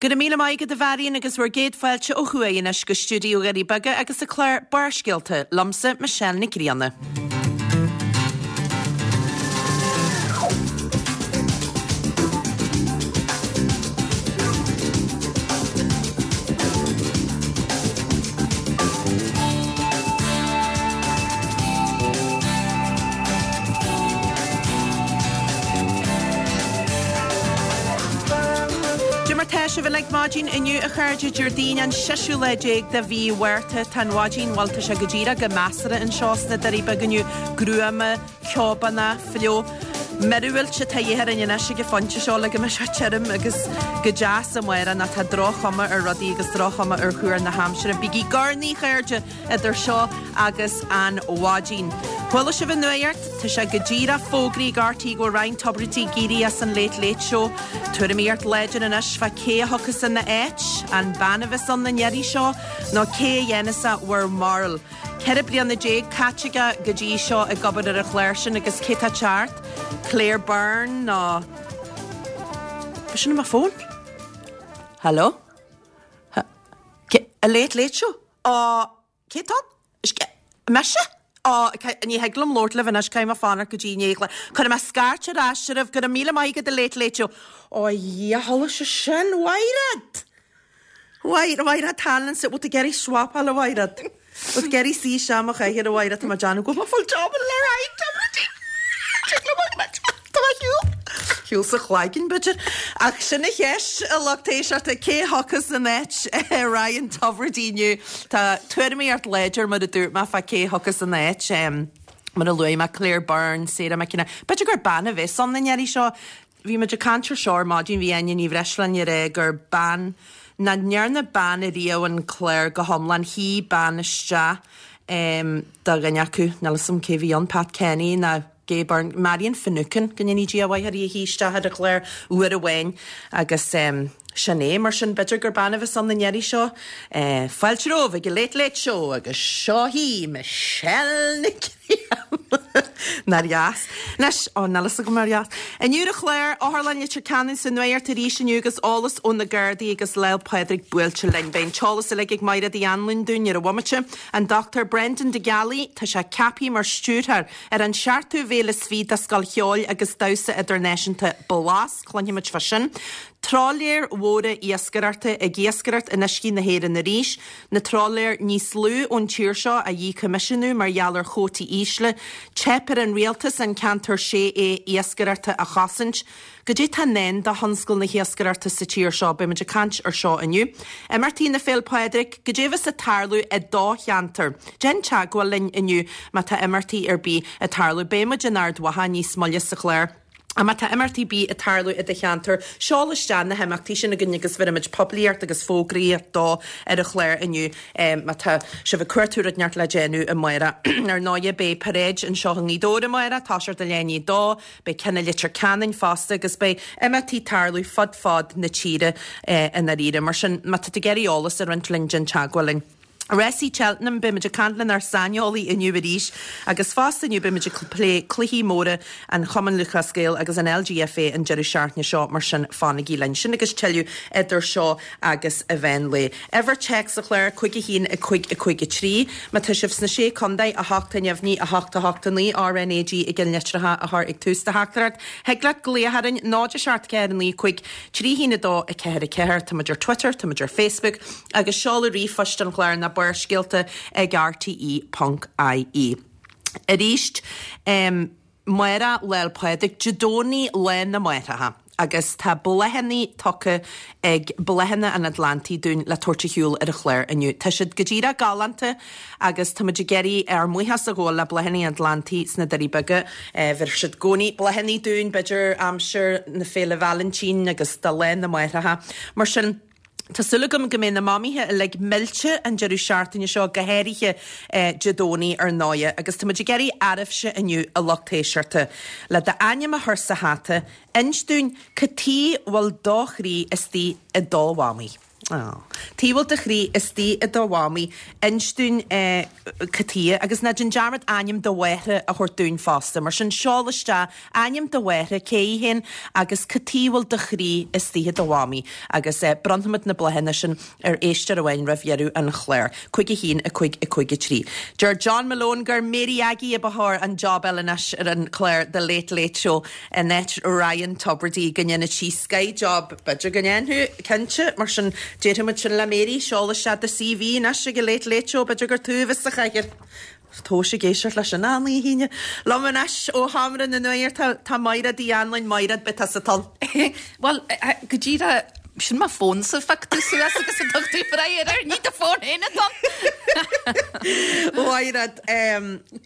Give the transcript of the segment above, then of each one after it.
Go raibh míle maith agat a Mharion agus bhur gcéad fáilte ó thuaidh anois go stiúideo Dhoirí Beaga agus an clár Barrscéalta, liomsa Michelle Nic Grianna. Dé mar tá sibh uilig maidin inniu a chairde, Déardaoin an seisiú lá déag de mhí Mhárta. Tá an mhaidin, bhuel tá sé go díreach go measartha anseo sna Doirí Beaga inniu, gruama, ceobánach, fliuch. Míorúilt atá de dhíth orainn anois ag an phointe seo le go mbeidh sé tirim agus go deas amárach nó tá droch-chuma ar rudaí agus droch-chuma ar chúr na haimsire. Bígí urnaí, a chairde, idir seo agus an mhaidin. Chuala sibh an nuacht? Tá sé go díreach fógraithe ag RTÉ go bhfuil Ryan Tubridy ag éirí as an Late Late Show. Tuairimíocht láidir anois fá cé a thiocfas ina áit, an bean a bheas ann an iarraidh seo nó cé a dhéanfas bhur mbarúil? 14 bliana caite aige go dtí seo ag obair ar an chlár sin agus cé tá teacht? Claire Byrne nó. Sin mo fón? Hello? A Late Late Show? Á, cé tá ann? Mise? Á, ní thig liom labhairt libh anois, caithfidh mé fanacht go dtí i ndiaidh. Cuirfidh mé scairt ar ais oraibh, go raibh míle maith agat a Late Late Show. Ó a Dhia, chuala sé sin, Mhaighread! Mhaighread, Mhaighread Tallon, bhfuil tú ag iarraidh swapáil a Mhaighread? Bhfuil tú ag iarraidh suí isteach i mo chathaoir a Mhaighread, tá mé ag déanamh go bhfuil mé full job le Ryan Tubridy! Tig liom a Tá mé ar shiúl. Shiúl sa chloigeann, b'fhéidir. Ach sin an cheist, a lucht éisteachta, cé a thiocfas in áit Ryan Tubridy inniu? Tá tuairimíocht láidir, mar a dúirt mé, fá cé a thiocfas ina áit. Mar a luaigh mé, Claire Byrne, Sarah McKenna. B'fhéidir gur bean a bheas ann an iarraidh seo. Bhí muid ag caint ar seo ar maidin, bhí Áine Ní Bhreisleáin ag rá gur bean, nach ndearna bean ariamh an clár go hiomlán, shuigh bean isteach do dhuine acu, níl 'fhios a'm cé bhí ann, Pat Kenny nó Gay Byrne, Marion Finucane, go ndéanaí Dia a mhaith uirthi a shuigh isteach ar an chlár uair amháin agus sin é. Mar sin, b'fhéidir gur bean a bheas ann an iarraidh seo. Fáilte romhaibh ag an Late Late Show agus seo hí Michelle Nic Grianna. Nár dheas. Anois, ó, níl fhios agam nár dheas. Inniu ar an chlár, Otharlann Leitir Ceanainn sa nuacht arís inniu agus eolas ó na Gardaí agus Lá 'le Pádraig buailte linn. Beidh an t-eolas uilig ag Maighread Uí Anluain dúinn ar an bhomaite. An Dr Brendan De Gealaigh, tá sé ceaptha mar stiúrthóir ar an seachtú bhféile is fiche de Scoil Cheoil agus Damhsa Idirnáisiúnta Blas, cluinfimid fá sin. Trálaeir mhóra iascaireachta ag iascaireacht in uiscí na hÉireann arís, na trálaeir níos lú ón tír seo á dhíchoimisiúnú mar gheall ar chuótaí ísle, teip ar an rialtas an ceantar 6A iascaireachta a chosaint. Goidé tá i ndán do thionscal na hiascaireachta sa tír seo? Beidh muid ag caint ar seo inniu. Imeachtaí na Féil Pádraig, goidé a bheas ag tarlú i do cheantar? Déan teagmháil linn inniu má tá imeachtaí ar bith ag tarlú. Beidh muid in Ard Mhacha níos moille sa chlár. Má tá imeachtaí ar bith ag tarlú i do cheantar, seol isteach na himeachtaí sin chugainn agus bheirfimid poiblíocht agus fógraíocht dó ar an chlár inniu. Má tá sibh ag cuartú rud inteacht le déanamh amárach. Ar ndóighe, beidh paráid anseo i nGaoth Dobhair amárach, toiseacht ag leath i ndiaidh a dó. Beidh ceann i Leitir Ceanainn fosta agus beidh imeachtaí ag tarlú fud fad na tíre i ndáiríre. Mar sin, má tá tú ag iarraidh eolas a roinnt linn, déan teagmháil linn. Rásaí Cheltenham, beidh muid ag caint lenár saineolaí inniu arís agus fosta inniu beidh muid ag plé cluichí móra an Chumann Lúthchleas Gael agus an LGFA an deireadh seachtaine seo, mar sin fanaigí linn. Sin agus tuilleadh idir seo agus an mheán lae. Uimhir téacs an chláir, 5 1 5 5 3. Má tá sibh sna Sé Contae, 8 neamhní, 8 8 9, RNAG i gceannlitreacha a chur ag tús do theachtaireacht. Thig leat glaoch orainn, 0 7 4 9 5 3 1 2 4 4. Tá muid ar Twitter, tá muid ar Facebook agus seoladh ríomhphoist an chláir ná barrscéalta ag rte.ie. Arís, Amárach Lá 'le Pádraig, Dé Domhnaigh Lá na Máithreacha agus tá bláthanna tugtha ag Bláthanna an Atlantaigh dúinn le tabhairt ar shiúl ar an chlár inniu. Tá siad go díreach galánta agus tá muid ag iarraidh ár mbuíochas a ghabháil le Bláthanna an Atlantaigh sna Doirí Beaga. Bheir siad i gcónaí bláthanna dúinn b'fhéidir aimsir na Féile Vailintín agus do Lá na Máithreacha. Mar sin, Tá súil agam go mbeidh na mamaithe uilig millte an deireadh seachtaine seo, go háirithe Dé Domhnaigh ar ndóighe. Agus tá muid ag iarraidh oraibhse inniu, a lucht éisteachta, le d'ainm a chur sa hata, inis dúinn cad tuighe bhfuil do chroí istigh i do mhamaí. Aww. Cá bhfuil do chroí istigh i do mhamaí. Inis dúinn cad chuige agus ná déan dearmad ainm do mháthara a thabhairt dúinn fosta. Mar sin seol isteach ainm do mháthara, cé í féin agus cad chuige a bhfuil do chroí istigh i do mhamaí agus bronnfaimid na bláthanna sin ar éisteoir amháin roimh dheireadh an chláir. 5 1 5 5 3. Deir John Malone gur Mary Aggie a ba chóir an job a fháil anois ar an chlár The Late Late Show in áit Ryan Tubridy go ndéanfadh sí sky job. B'fhéidir go ndéanfadh, cinnte. Mar sin, déarfaimid sin le Mary, seol isteach do CV anois ag an Late Late Show, b'fhéidir gur tú a bheas sa chathaoir. Tomhais ag éisteacht leis sin achan oíche. Liom anois ó Sheomra na Nuachta tá Maighread Uí Anluain. Maighread, beidh tusa thall. Bhuel, go díreach, sin mo fón-sa a phioc tú suas agus a dtug tú breith air, ní do fón féin atá ann! Mhaighread,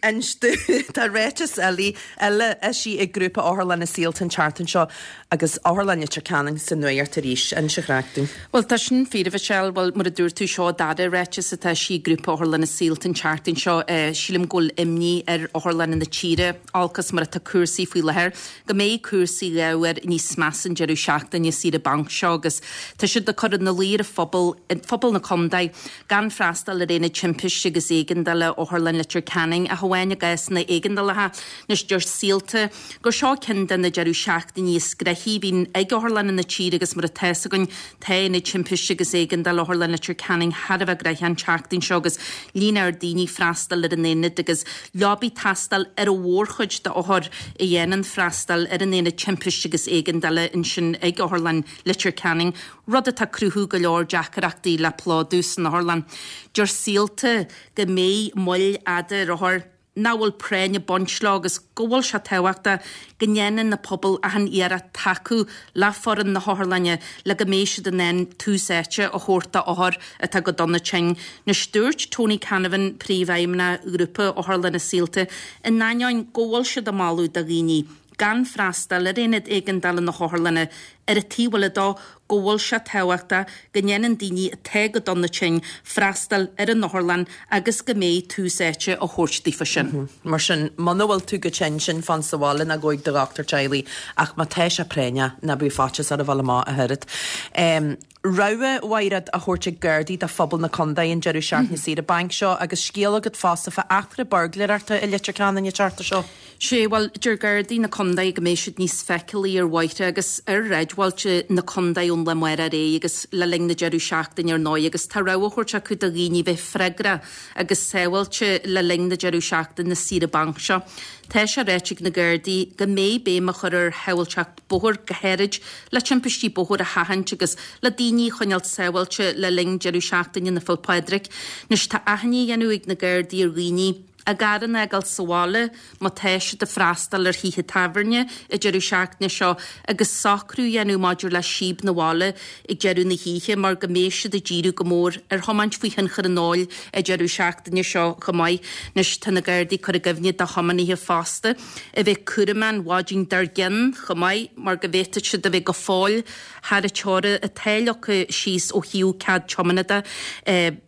inis dúinn, tá ráiteas eile eisithe ag Grúpa Otharlanna Saolta an tseachtain seo Agus Otharlann Leitir Ceanainn sa nuacht arís, inis an chraic dúinn. Bhuel, tá sin fíor, a Mhichelle. Bhuel, mar a dúirt tú, seo an dara ráiteas atá eisithe ag Grúpa Otharlanna Saolta an tseachtain seo. Sílim go bhfuil imní ar otharlanna na tíre, olc is mar atá cúrsaí faoi láthair, go mbeidh cúrsaí dá bharr níos measa an deireadh seachtaine saoire bainc seo agus tá siad ag cur ina luí ar an phobal, phobal na contae, gan freastal ar Aonad Timpiste agus Éigeandála Otharlann Leitir Ceanainn ach amháin i gcásanna éigeandálacha. Anois, deir Saolta gur seo ceann de na deireadh seachtainí is gnoithí a bhíonn ag otharlanna na tíre agus mar atá fhios againn tá Aonad Timpiste agus Éigeandála Otharlann Leitir Ceanainn thar a bheith gnoitheach an tseachtain seo agus líon ard daoine ag freastal ar an aonad agus leaba ag teastáil ar an mhórchuid d'othair a dhéanann freastal ar an Aonad Timpiste agus Éigeandála ansin ag Otharlann Leitir Ceanainn, rud atá ag cruthú go leor deacaireachtaí le plódú san otharlann. Deir Saolta go mbeidh moill fhada ar othair. nach bhfuil práinn ag baint leo agus go bhfuil sé tábhachtach go ndéanann na pobail achan iarracht tacú le foireann na hotharlainne le go mbeidh siad in ann tús áite a thabhairt d'othair atá go dona tinn. Anois dúirt Tony Canavan, Príomhfheidhmeannach Ghrúpa Otharlanna Saolta, in ainneoin go bhfuil siad ag moladh do dhaoine gan freastal ar aonad éigeandála na hotharlainne, ar an taobh eile dó, go bhfuil sé tábhachtach go ndéanann daoine atá go dona tinn freastal ar an otharlann agus go mbeidh tús áite á thabhairt daofa sin. Mar sin, muna bhfuil tú go tinn, sin fan sa bhaile nó gabh ag do dhochtúir teaghlaigh ach má tá sé práinneach, ná bíodh faitíos oraibh a dhul amach ach oiread. Rabhadh, a Mhaighread, á thabhairt ag Gardaí do phobal na contae an deireadh seachtaine saoire bainc seo agus scéal agat fosta fá eachtra buirgléireachta i Leitir Ceanainn an tseachtain seo. Sé, bhuel, deir Gardaí na contae go mbeidh siad níos feiceálaí ar bhóithre agus ar shráidbhailte na contae ón lá amárach ar aghaidh agus le linn na deireadh seachtaine ar ndóigh agus tá rabhadh á thabhairt acu do dhaoine bheith freagrach agus sábháilte le linn na deireadh seachtaine saoire bainc seo. Tá sé ráite ag na Gardaí go mbeidh béim á chur ar shábháilteacht bóthair, go háirid le timpistí bóthair a sheachaint agus le daoine a choinneáilt sábháilte le linn deireadh seachtaine na Féile Pádraig. Anois tá achainí á dhéanamh ag na Gardaí ar dhaoine a gcarranna a fhágáil sa bhaile má tá siad ag freastal ar thithe tábhairne an deireadh seachtaine seo agus socrú a dhéanamh maidir le síob 'na bhaile ag deireadh na hoíche mar go mbeidh siad ag díriú go mór ar thiomáint faoi thionchar an óil an deireadh seachtaine seo chomh maith. Anois tá na Gardaí ag cur i gcuimhne do thiománaithe fosta a bheith cúramach an mhaidin dár gcionn chomh maith mar go bhféadfadh siad a bheith go fóill thar an teora atá leagtha síos ó thaobh cead tiomána de.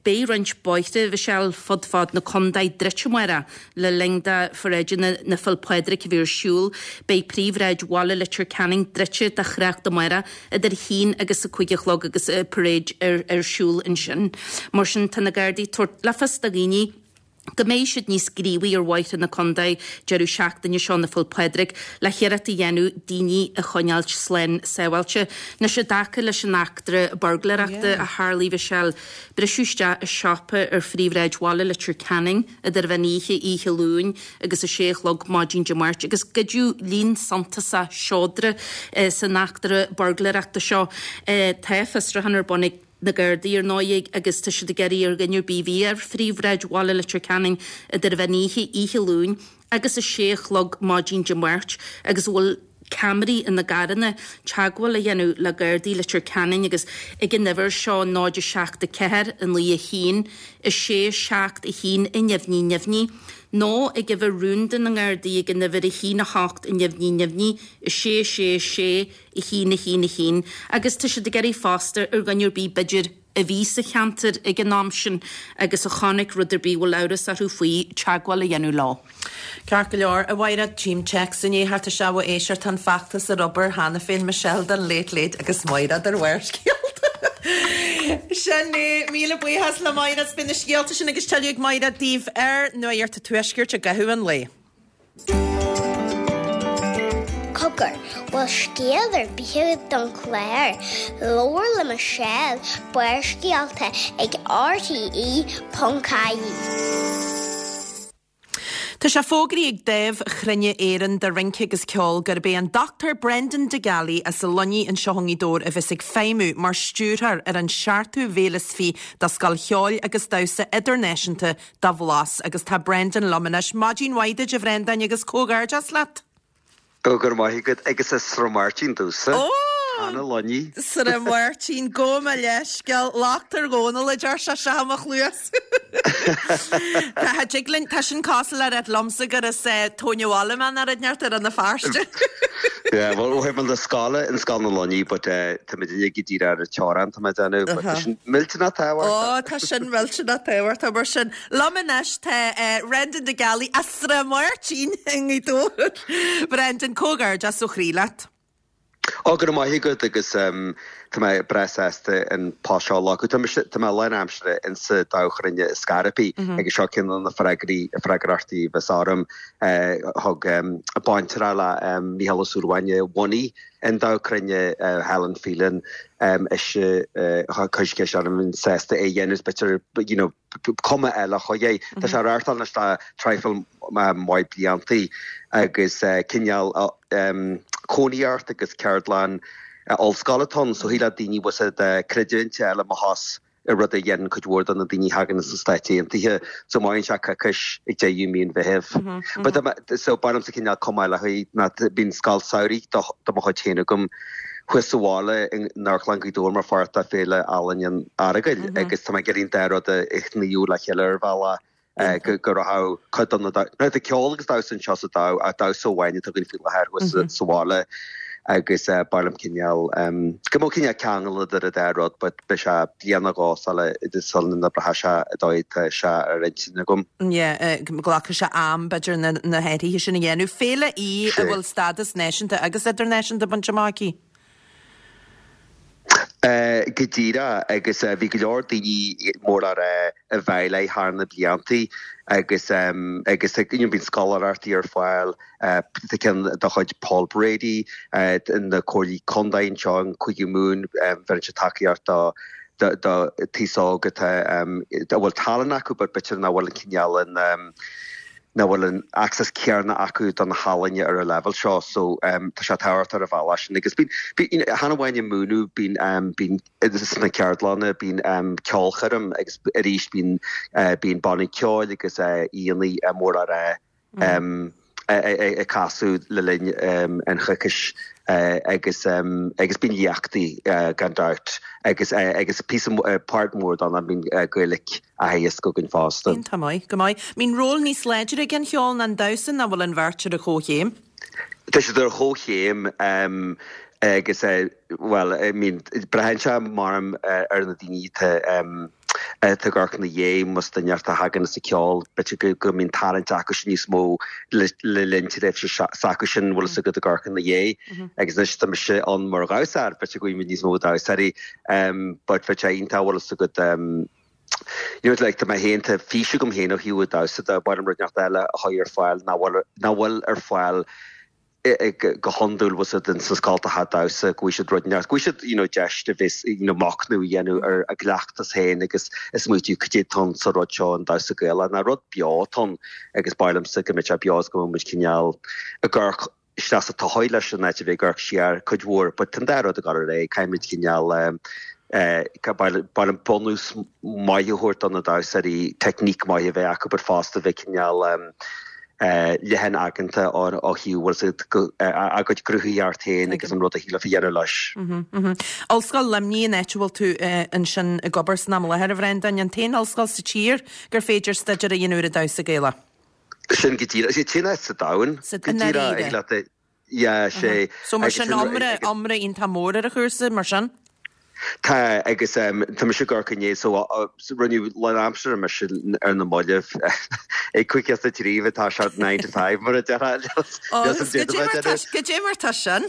Beidh roinnt bóithre, Mhichelle, fud fad na contae druidte amárach le linn do pharáideanna na Féile Pádraig a bheith ar siúl. Beidh príomhshráid bhaile Leitir Ceanainn druidte do thrácht amárach idir a haon agus a 5 a chlog agus an paráid ar siúl ansin. Mar sin tá na Gardaí ag tabhairt le fios do dhaoine, go mbeidh siad níos gníomhaí ar bhóithre na contae deireadh seachtaine seo na Féile Pádraig le hiarracht a dhéanamh daoine a choinneáilt slán sábháilte. Anois i dtaca leis an eachtra buirgléireachta a tharlaigh Mhichelle, briseadh isteach i siopa ar phríomhshráid bhaile Leitir Ceanainn idir mheán oíche oíche Luain agus a sé a chlog maidin Dé Máirt agus goideadh líon suntasach seodra san eachtra buirgléireachta seo. Tá fiosrúchán ar bun ag. na Gardaí, ar ndóigh, agus tá siad ag iarraidh ar dhuine ar bith a bhí ar phríomhshráid bhaile Leitir Ceanainn idir mheán oíche oíche Luain agus a sé a chlog maidin Dé Máirt agus a bhfuil ceamaraí ina gcarranna, teagmháil a dhéanamh le Gardaí Leitir Ceanainn agus ag an uimhir seo 0 7 4 9 1 6 7 1 neamhní neamhní nó ag uimhir rúnda na nGardaí ag an uimhir 1 8 neamhní neamhní 6 6 6 1, 1, 1, agus tá siad ag iarraidh fosta ar dhuine ar bith b'fhéidir a bhí sa cheantar ag an am sin agus a chonaic rud ar bith a bhfuil amhras orthu faoi, teagmháil a dhéanamh leo. Ceart go leor, a Mhaighread, tchím téacs i ndiaidh theacht isteach ó éisteoir, tá an feachtas ar obair cheana féin, Michelle don Late Late agus Maighread ar Bharrscéalta. Sin é, míle buíochas le Máire. Beidh na scéalta sin agus tuilleadh ag Máire daoibh ar Nuacht an Tuaiscirt i gcaitheamh an lae. Cogar, bhfuil scéal ar bith agat don chlár? Labhair le Michelle, Barrscéalta ag rte.ie. Tá sé fógraithe ag Dámh Chruinne Éireann do Rince agus Ceol gurb é an Dr Brendan De Gealaigh as an Luinnigh anseo i nGaoth Dobhair a bheas ag feidhmiú mar stiúrthóir ar an seachtú Bhféile is Fiche de Scoil Cheoil agus Damhsa Idirnáisiúnta do Bhlas agus tá Brendan liom anois. Maidin mhaith duit a Bhrendáin agus comhghairdeas leat! Go raibh maith agat agus as Srath Máirtín domhsa. Ó! Tá na Luinnigh. Srath Máirtín, gabh mo leithscéal, locht ar Dhónall a deir sé seo i mo chluas. Tá tig linn, tá sin cosúil le ráit liomsa gur as Tóin an Bhaile mé nó rud inteacht ar Rann na Feirste. Yeah, well, ó thaobh na scoile, in Scoil na Luinnigh, but tá muid uilig go díreach ar an teorainn, tá mé ag déanamh, but tá sin millteanach tábhachtach. Ó, tá sin millteanach tábhachtach mar sin. Liom anois tá Brendan De Gealaigh as Srath Máirtín i nGaoth Dobhair. Brendan, comhghairdeas ó chroí leat. Ó, go raibh maith agat agus tá mé breá sásta an post seo a ghlacadh. Tá mise, tá mé lánaimseartha insa Dámh Chruinne i Scariff agus seo ceann de na freagraí, freagrachtaí a bheas orm. Thug baintreach le Mícheál Ó Súilleabháin a bhunaigh an Dámh Cruinne, Helen Phelan, ise a chuir ceist orm an mbeinn sásta é a dhéanamh, b'fhéidir, you know, cuma eile a chur air. Tá sé á reáchtáil anois le traidhfil maith bliantaí agus cineál cónaíocht agus ceardlann ollscoile atá ann so thig le daoine bhfuil siad creidiúint a fháil amach as rud a dhéanann cuid mhór de na daoine a thagann as na Stáit Aontaithe. So maíonn sé coicís ag deireadh mí an Mheithimh. But so ba mhaith liomsa cineál cuma eile a chur ná bíonn scoil samhraidh do mo chuid féin agam thuas sa bhaile in Amharclann Ghaoth Dobhair mar pháirt de Féile Ealaíne an Earagail agus tá mé ag iarraidh an dá rud a shnoíodh le chéile ar bhealach go rachadh cuid de na Now tá ceol agus damhsa anseo sa Dámh ach damhsa amháin atá againn faoi láthair thuas sa bhaile agus ba mhaith liom cineál go mbeadh cineál ceangal idir an dá rud but beidh sé bliain nó dhó sula sula n-oibreoidh sé an dóigh atá sé ar intinn agam. Yeah, glacfaidh sé am b'fhéidir na na hathruithe sin a dhéanamh. Féile í a bhfuil stádas náisiúnta agus idirnáisiúnta bainte amach aici. Go díreach, agus bhí go leor daoine mór le rá i bhfeighil léi thar na bliantaí agus agus you know bíonn scoláireachtaí ar fáil, tá ceann de chuid Paul Brady, na comhairlí contae anseo in Cúige Mumhan, bheireann siad tacaíocht do do do taos óg atá a bhfuil tallann acu but b'fhéidir nach bhfuil an cineál an nach bhfuil an access céanna acu do na healaíona ar an leibhéal seo so tá sé tábhachtach ar an bhealach sin agus bíonn, bíonn, chan amháin ag múineadh, bíonn, bíonn sna ceardlanna, bíonn ceolchoirm agus arís bíonn, bíonn bannaí ceoil agus aíonna mór le rá ag casadh le linn an choicís agus agus bíonn léachtaí gan dabht agus agus píosa, páirt mhór de ná bíonn Gaeilge. á theagasc againn fosta. Iontach maith, go maith. Mbíonn ról níos láidre ag an cheol ná an damhsa nó bhfuil an bheirt ar a chomhchéim? Tá siad ar a chomhchéim agus bhuel, I mean, braitheann sé maram ar na daoine atá atá ag amharc ina dhiaidh, más duine a thagann as an ceol, b'fhéidir go mbíonn tarraingt acusan níos mó le linn tréimhse s'acusan, bhfuil fhios agat ag amharc ina dhiaidh. Agus anois tá mise ann mar dhamhsóir, b'fhéidir go bhfuil níos mó damhsóirí but bheadh sé iontach, bhfuil fhios agat, You know, like, tá mé féin, tá fís agam féin ó thaobh an damhsa de, ba mhaith liom rud inteacht eile a chur ar fáil nach bhfuil, nach bhfuil ar fáil go hiondúil, bhfuil fhios agat, sna scoltacha damhsa, go bhfaighidh siad rud inteacht, go bhfaighidh siad, you know, deis a bheith, you know, machnamh a dhéanamh ar a gcleachtas féin agus ag smaoitiú cad é atá ann sa rud seo, an damhsa Gaelach, ná rud beo atá ann agus ba mhaith liomsa go mbeadh sé beo agus go mbeadh muid cineál ag amharc isteach sa todhchaí leis in áit a bheith ag amharc siar cuid mhór but tá an dá rud ag dul ar aghaidh, caithfimid cineál eh ba mhaith liom bunús maith a thabhairt do na damhsóirí, teicníc maith a bheith acu but fosta bheith cineál eh leathan aigeanta ó thaobh bhfuil fhios agat a gcuid cruthaitheacht féin agus an rud a shílfeá a dhéanamh leis. Ollscoil Luimnigh an áit a bhfuil tú ansin ag obair san am i láthair, a Bhreandáin, an t-aon ollscoil sa tír gur féidir staidéar a dhéanamh ar an damhsa Gaelach. Sin go díreach. Is é an t-aon áit sa domhan Sa go díreach ag leat é. Yeah, sé. So mar sin iomrá, iomrá iontach mór ar an chúrsa, mar sin? Tá, agus tá mise ag amharc inné, so rinneadh lánaimseartha mise ar na mallaibh ag 5:03 atá sé 9 to 5 mar a déarfá. Ó, goidé mar tá sin?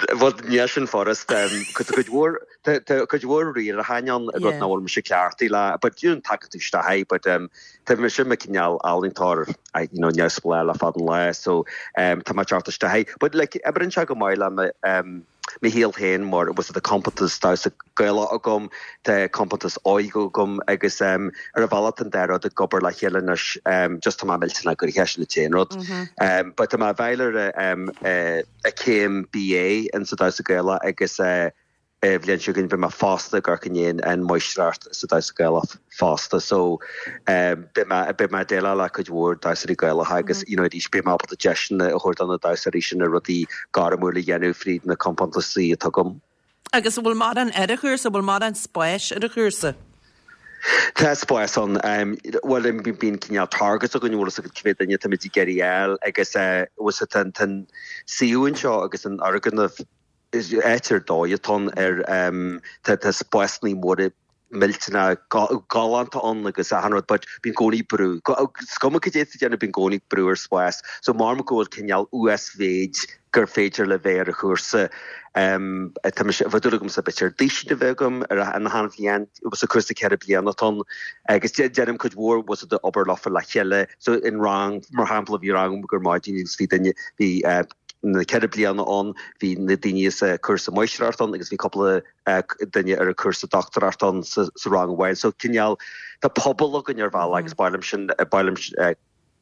Bhuel, níl sin furasta. Tá cuid mhór, tá cuid mhór riaracháin ann, rud nach bhfuil mise cleachtaithe le, but you know, tagann tú isteach air, but tá mise i mo cineál ealaíontóir, you know, neamhspleách le fada an lá, so tá mé ag teacht isteach air. But like, oibríonn sé go maith le mo, mo shaol féin mar bhfuil tá compántas damhsa Gaelach agam, tá compántas óige agam agus ar an bhealach tá an dá rud ag obair le chéile anois, just tá mé millteanach gnoitheach, sin an t-aon rud. But tá mé ag fáil ar a céim BA in sa damhsa Gaelach agus an bhliain seo chugainn beidh mé fosta ag amharc i ndiaidh an máistreacht sa damhsa Gaelach fosta so beidh mé beidh mé ag déileáil le cuid mhór damhsóirí Gaelacha agus you know arís beidh mé ábalta deiseanna a thabhairt do na damhsóirí sin na rudaí gairmiúil a dhéanamh fríd na compántasaí atá agam. Agus an bhfuil mórán ar an chúrsa, an bhfuil mórán spáis ar an chúrsa? Tá spás ann. Bhuel, bíonn cineál targets againn, bhfuil fhios agat cé mhéad duine táimid ag iarraidh a fháil agus bhfuil fhios agat tá an suíomh anseo agus an fhoirgneamh, áit ar dóigh atá ann ar tá spásanna móra millteanach galánta ann agus achan rud but bíonn i gcónaí brú. Is cuma cad é atá tú ag déanamh bíonn i gcónaí brú ar spás. So measaim go bhfuil cineál uasmhéid gur féidir le bheith ar an chúrsa. Tá mise, bheadh dúil agamsa b'fhéidir duisín a bheith agam ar an achan bhliain, sa cúrsa 4 bliana atá ann agus déanaim cuid mhór bhfuil fhios agat obair leofa le chéile. So in rang, mar shampla bhí rang agam ar maidin agus bhí duine, bhí na 4 bliana ann, bhí na daoine sa cúrsa máistreacht ann agus bhí cúpla duine ar an cúrsa dochtúireacht ann sa rang amháin. So cineál, tá pobal againn ar bhealach agus ba mhaith liom sin, ba mhaith liom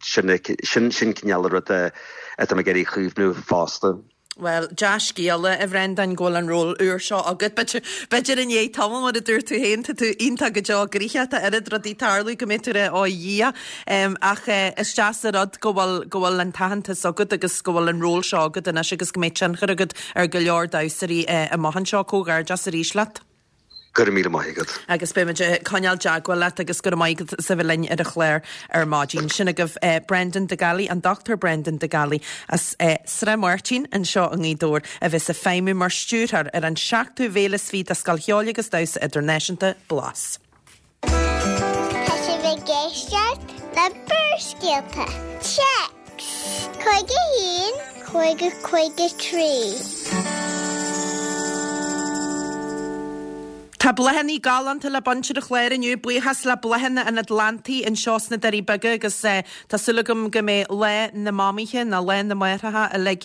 sin, sin cineál an rud atá mé ag iarraidh a chaomhnú fosta. Bhuel, dea-scéala, a Bhrendáin, go bhfuil an ról úr seo agat. B'fhéidir, b'fhéidir i ndiaidh tamaill, mar a dúirt tú féin, tá tú iontach go deo gnoitheach, tá oiread rudaí ag tarlú go mbeidh tú ag rá, ó a Dhia. Ach is deas an rud go bhfuil, go bhfuil an t-aitheantas agat agus go bhfuil an ról seo agat anois agus go mbeidh tionchar agat ar go leor damhsóirí amach anseo. Comhghairdeas arís leat. Go raibh míle maith agat. Agus beimid ag coinneáil teagmháil leat agus go raibh maith agat as a bheith linn ar an chlár ar maidin. Sin agaibh Brendan De Gallaí, an Dr Brendan De Gallaí as Srath Máirtín anseo i nGaoth Dobhair a bheas ag feidhmiú mar stiúrthóir ar an seachtú bhféile is fiche de Scoil Cheoil agus Damhsa Idirnáisiúnta Blas. Tá sibh ag éisteacht le Barrscéalta. Téacs 51 50 53. Tá bláthanna galánta le baint ar an chlár inniu, buíochas le Bláthanna an Atlantaigh anseo sna Doirí Beaga agus tá súil agam go mbeidh Lá na Mamaithe nó Lá na Máithreacha uilig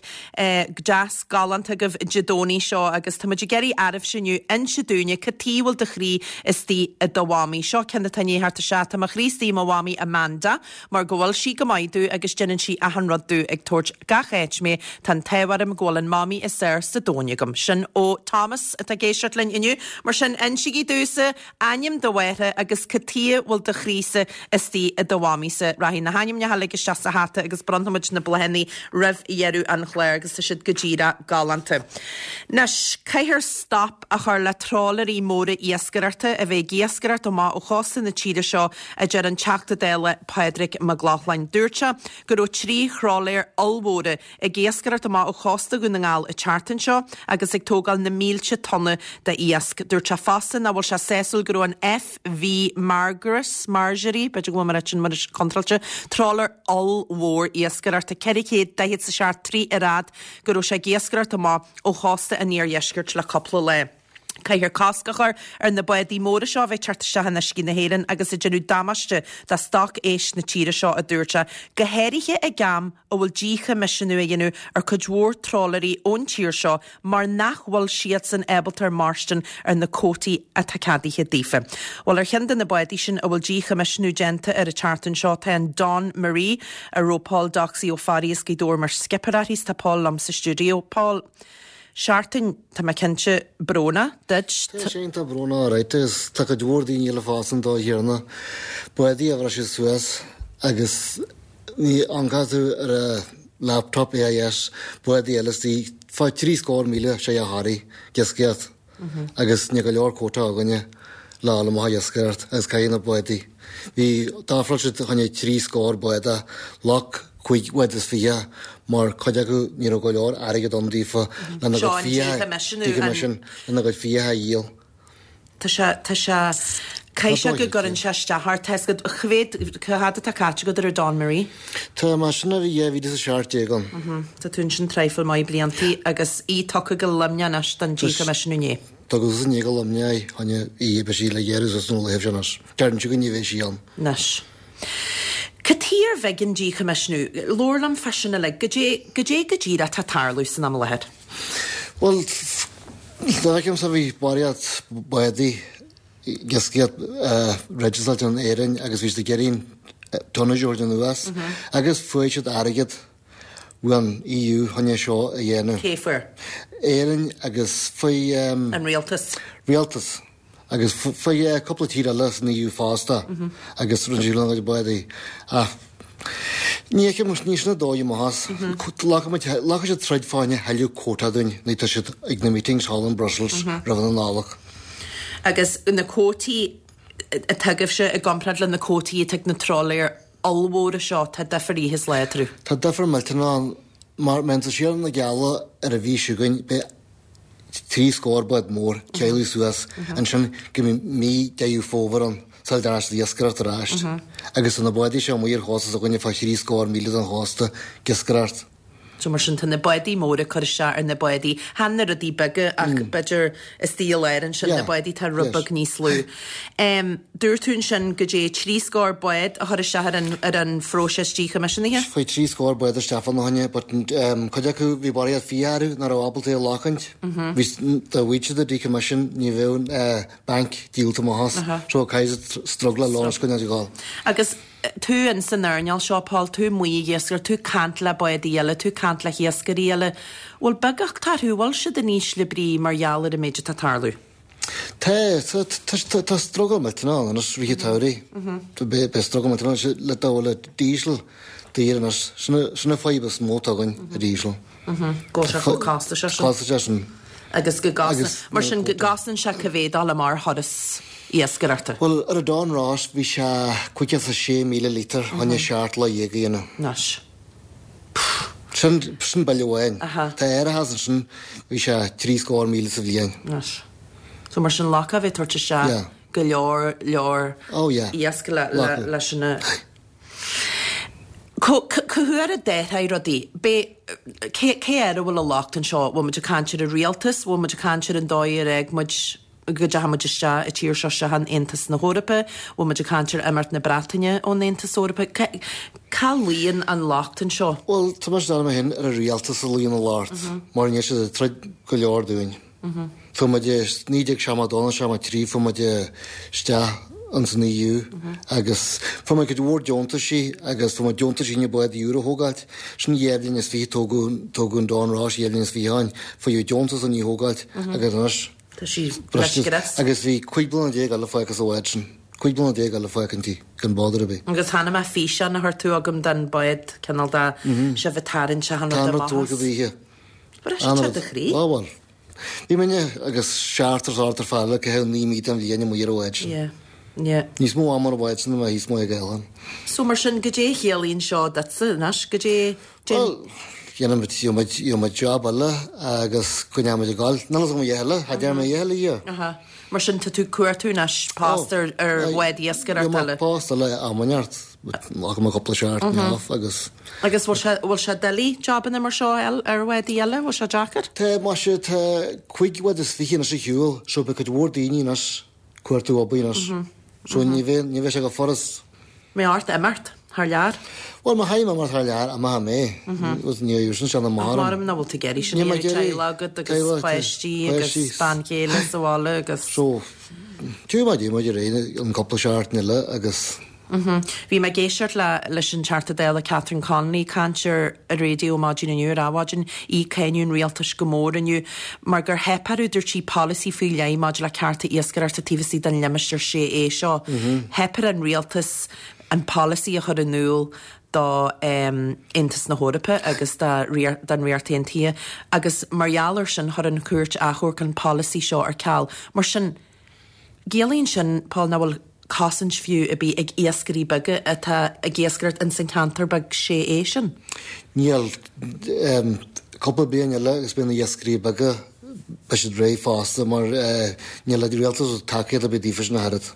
deas galánta agaibh Dé Domhnaigh seo agus tá muid ag iarraidh oraibhse inniu inse dúinne cad tuighe a bhfuil do chroí istigh i do mhamaí. Seo ceann atá i ndiaidh theacht isteach. Tá mo chroí istigh i mo mhamaí Amanda mar go bhfuil sí go maith domh agus déanann sí achan rud domh ag tabhairt gach áit mé. Tá an t-ádh orm go bhfuil an mamaí is fhearr sa domhan agam. Sin ó Thomas atá ag éisteacht linn inniu. Mar sin insígí domhsa ainm do mháthara agus cad tuighe bhfuil do chroísa istigh i do mhamaísa. Rachaidh na hainmneacha uilig isteach sa hata agus bronnfaimid na bláthanna roimh dheireadh an chláir agus tá siad go díreach galánta. Anois, caithfear stop a chur le trálaeirí móra iascaireachta a bheith ag iascaireacht amach ó chósta na tíre seo, a deir an Teachta Dála Pádraig Mac Lochlainn. Dúirt sé go raibh 3 thrálaer ollmhóra ag iascaireacht amach ó chósta Dhún na nGall an tseachtain seo agus ag tógáil na mílte tonna de iasc. Dúirt sé fosta nach bhfuil sé sásúil go raibh an FV Margaret, Marjorie, b'fhéidir go bhfuil mé ag rá sin mar is contráilte, trálaer ollmhór iascaireachta, 447 troigh ar fhad, go raibh sé ag iascaireacht amach ó chósta an iardheiscirt le cúpla lá. Caithfear cosc a chur ar na bádaí móra seo a bheith ag teacht isteach in uiscí na hÉireann agus ag déanamh damáiste do stoc éisc na tíre seo, a dúirt sé, go háirithe ag am a bhfuil díchoimisiúnú á dhéanamh ar cuid mhór trálaeirí ón tír seo mar nach bhfuil siadsan ábalta mairstin ar na cuótaí atá ceadaithe daofa. Bhuel, ar cheann de na bádaí sin a bhfuil díchoimisiúnú déanta air an tseachtain seo tá an Dawn Marie, a raibh Paul Doxey Ó Fearraigh as Gaoth Dobhair mar skipper uirthi. Tá Paul liom sa stiúideo. Paul. Seachtain, tá mé cinnte, brónach duit. Tá sé iontach brónach alright agus tá cuid mhór daoine eile fosta an dóigh chéanna. Bádaí a bhriseadh suas agus ní amharcann tú ar a laptop AIS, bádaí eile istigh fá 70,000 sé a Harry, ag iascaireacht agus níl go leor quota againne le dhul amach ag iascaireacht agus caithfidh na bádaí. Bhí, d'ofráil siad fá choinne 30 bád a ghlac 25 mar cuid acu ní raibh go leor airgead ann daofa lena gcuid fiacha, lena gcuid fiacha a dhíol. Tá sé, tá sé. Caithfidh sé go gcuireann sé isteach ort, tá 'fhios agat, cá mhéad, cá fhad atá caite agat ar an Dawn Marie? Tá mé ansin ó bhí 2017 ann. Tá tú ansin traidhfil maith bliantaí agus í tugtha go Luimneach anois don díchoimisiúnú inné. Tugadh suas inné go Luimneach í, choinne í, beidh sí le gearradh suas nó le thaobh sin anois. Deireann siad go ní bheidh sí ann. Anois. Cad chuige ar bhig an díchoimisiúnú? Labhair liom fá sin uilig. Goidé, goidé go díreach atá ag tarlú san am i láthair? Bhuel, dá bhfeicimse bhí barraíocht bádaí ag iascaireacht registered in Éirinn agus bhí siad ag iarraidh tonnage a thabhairt anuas agus fuair siad airgead ón EU chun é seo a dhéanamh. Cé fuair? Éirinn agus fuair. An rialtas. Rialtas. Agus fuair cúpla tír eile san EU fosta agus rinne siad lena gcuid bádaí. Ach ní fheicim, ní sin an dóigh amach as. Ghlacfaidh siad troid fá choinne thuilleadh quota dúinn nuair atá siad ag na meetings thall in Brussels roimh an Nollaig. Agus na cuótaí atá agaibhse i gcomparáid le na cuótaí atá ag na trálaeir ollmhóra seo, tá difear oíche is lá eatarthu. Tá difear millteanach ann. Mar má théann tú siar na Geala ar an mhí seo chugainn, beidh 3 scór bád mór teaghlaigh suas ansin go mbeidh mí Deireadh Fómhair ann sula dtearn siad iascaireacht ar ais. Agus tá na bádaí seo amuigh ar chósta s'againne fá thrí scór míle den chósta ag iascaireacht. So mar sin tá na bádaí móra ag cur isteach ar na bádaí, chan na rudaí beaga ach b'fhéidir istigh i lár ansin na bádaí atá rud beag níos lú. Dúirt tú ansin goidé 3 scór bád a chuir isteach ar an ar an phróiseas díchoimisiúnaithe? Chuaigh 3 scór bád isteach fána choinne but cuid acu bhí barraíocht fiacha orthu nach raibh ábalta é a ghlacaint. Bhí dá bhfaigheadh siad an decommission ní bheadh an banc díolta amach as. So caithfidh siad struggleáil leo anois go n-ag. Agus tú in san earnáil seo, Paul, tú amuigh ag iascaireacht, tú ag caint le bádaí eile, tú ag caint le hiascairí eile, bhfuil beagucht orthu, bhfuil siad in ísle brí mar gheall ar an méid atá ag tarlú? Tá, tá, tá, tá struggle millteanach ann anois rith an tsamhraidh. Beidh struggle millteanach ann le dul le diesel daor anois. Sin an fadhb is mó atá againn, an diesel. Go bhfuil sé chomh costasach sin. Costasach sin. Agus go gcosnaíonn, mar sin, go gcosnaíonn sé cá mhéad dul amach ar thuras iascaireachta? Bhuel, ar an Don Rois bhí sé 56,000 lítear chun 17 lá a dhéanamh. Anois. Sin, sin bille amháin. Tá árachas ansin, bhí sé 73,000 sa bhliain. Anois. So mar sin, locha a bheith ag tabhairt isteach go leor, leor iasc le, le, leis an. Cá huair a d'athraigh rudaí? B'é, cé, cé air a bhfuil an locht anseo? Bhfuil muid ag caint ar an rialtas? Bhfuil muid ag caint ar an dóigh ar fhág muid, go dteachaigh muid isteach, an tír seo isteach in Aontas na hEorpa? Bhfuil muid ag caint ar imeacht na Breataine ón Aontas Eorpach? Cá, cá luíonn an locht anseo? Bhuel, tá mise ag déanamh féin ar an rialtas a luíonn an locht, mar níl siad ag troid go leor dúinn. Fuair muid i 1972 nó 73 fuair muid isteach ins an EU agus fuair muid cuid mhór deontaisí agus fuair muid deontaisí na bádaí úr a thógáilt. Sin dhá bhliain is fiche tógadh tógadh an Don Rois dhá bhliain is fiche ó shin. Fuair deontas chun í a thógáilt agus anois Tá sí le scrios. Agus bhí 15 bliana eile fágtha sa bhád sin. 15 bliana eile fágtha inti gan bother ar bith. Agus chonaic mé físeán a chuir tú agam den bád cineál de sibh ag tarraingt achan rud amach as. Tá an rud tógtha daoithe. Briseann sé do chroí. Á bhuel. Bhí muidne agus seachtar is ochtar fear eile ag caitheamh 9 mí den bhliain amuigh ar an bhád sin. Yeah. Yeah. Níos mó ama ar an bhád sin ná mé thíos amuigh ag oileán. So mar sin, goidé a chiallaíonn seo duitse anois? Goidé, Bhuel, dhéanfaidh muid, gheobhaidh muid, gheobhaidh muid job eile agus coinneoidh muid ag gabháil. Níl fhios agam a dhath eile, cha deir mé a dhath eile a dhia. Aha. Mar sin, tá tú ag cuartú anois post ar, ar bhád iascaireachta eile? Gheobhaidh mé post eile am inteacht. Ghlacfaidh mé cúpla seachtain off agus. Agus bhfuil sé, bhfuil sé doiligh jobanna mar seo a fháil ar bhádaí eile? Bhfuil sé deacair? Tá, maise, tá 25 bhád anois ar shiúl, so beidh cuid mhór daoine anois ag cuartú obair anois. So ní bheidh, ní bheidh sé chomh furast. Mbeidh ort imeacht thar lear? Bhuel, má chaithfidh mé imeacht thar lear, imeoidh mé. Ní bheidh sin sean amach orm. Ach nach bhfuil tú ag iarraidh sin a dhéanamh, teaghlach agat agus páistí agus bean chéile sa bhaile agus. So, tiocfaidh muid, muid ar aghaidh an cúpla seachtain eile agus. Bhí mé ag éisteacht le leis an Teachta Dála Catherine Connolly ag caint ar an raidió maidin inniu, ar Adhmhaidin, í ag cáineadh an rialtais go mór inniu mar gur theip orthu, dúirt sí, polasaí faoi leith maidir le cearta iascaireachta taobh istigh den limistéar 6A seo. Theip ar an rialtas an polasaí a chur in iúl do Aontas na hEorpa agus don Ríocht Aontaithe agus mar gheall air sin chuir an Chúirt Achomhairc an polasaí seo ar ceal. Mar sin, Ciallaíonn sin, Paul, nach bhfuil cosaint fiú ar bith ag iascairí beaga atá ag iascaireacht ins an cheantar beag 6A sin. Níl. Cúpla bliain eile agus beidh na iascairí beaga, beidh siad réidh fosta mar níl an rialtas ag tacaíocht ar bith daofa sin ach oiread.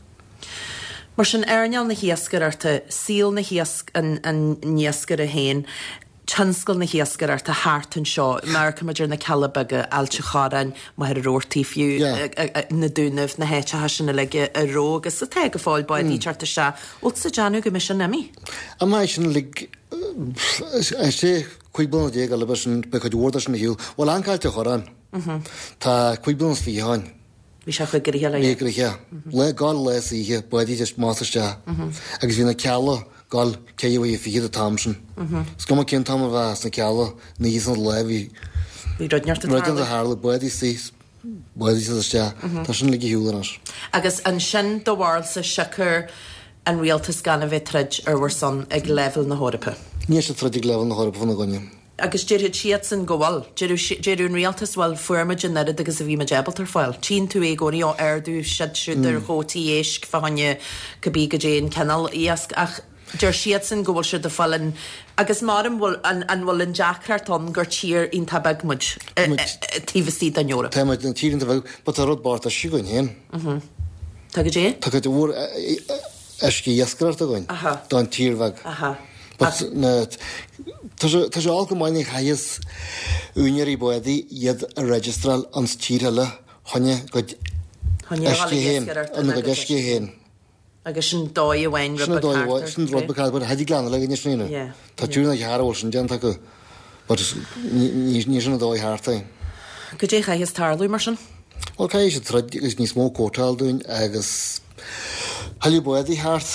Mar sin, earnáil na hiascaireachta, saol na hiasc, an iascaire féin, tionscal na hiascaireachta thart anseo, amharcann muid ar na Cealla Beaga, Ailt an Chorráin, Machaire Rabhartaigh fiú, na Dúnaibh, na háiteacha sin uilig a raibh agus atá go fóill bádaí ag teacht isteach. Bhfuil tusa ag déanamh go mbeidh sin imithe? An mbeidh sin uilig, is é 15 bliana eile beidh sin, beidh cuid mhór de sin ar shiúl. Bhuel, amharc Ailt an Chorráin, tá 25 bliana ó shin. Bhí sé chomh gnoitheach le. Bhí gnoitheach. Lá gabháil lá is oíche, bádaí just amach is isteach. Agus bhí na Cealla gabháil ceithre uaire fichead an t-am sin. Is cuma cén t-am a bheadh sna Cealla, an oíche is an lá bhí. Bhí rud inteacht ag tarlú. Rud inteacht ag tarlú, bádaí istigh, bádaí isteach. Tá sin uilig ar shiúl anois. Agus ansin do bharúilsa siocair an rialtas gan a bheith troid ar bhur son ag leibhéal na hEorpa? Níl siad troid ag leibhéal na hEorpa fána gcoinne. Agus déarfadh siadsan go bhfuil. Déarfadh an rialtas, bhuel, fuair muid an oiread agus a bhí muid ábalta ar fáil. Tchíonn tú é i gcónaí, ó, ardú siad siúd ar chuótaí éisc fá choinne cibé goidé an cineál iasc ach deir siadsan go bhfuil siad ag fáil an, agus maram bhfuil, an, an bhfuil an deacracht ann gur tír iontach beag muid taobh istigh den Eoraip. Tá muid ina tír iontach beag, but tá rud bocht uisce againn féin. Tá goidé? Tá cuid mhór uisce iascaireachta againn don tír bheag. But na, tá sé, tá sé olc go maith ní chaithfeas úinéirí bádaí iad a registráil ins tír eile chun a gcuid uisce féin, ina gcuid uisce féin. Agus sin dóigh amháin rud beag thart ar. Sin rud beag thart, but thig lean eile againne sin a dhéanamh. Tá tír thar a bhfuil sin déanta acu, but ní, ní sin an dóigh thart é. Goidé a chaithfeas tarlú mar sin? Bhuel caithfidh siad troid agus níos mó quota a fháil dúinn agus thuilleadh bádaí thart.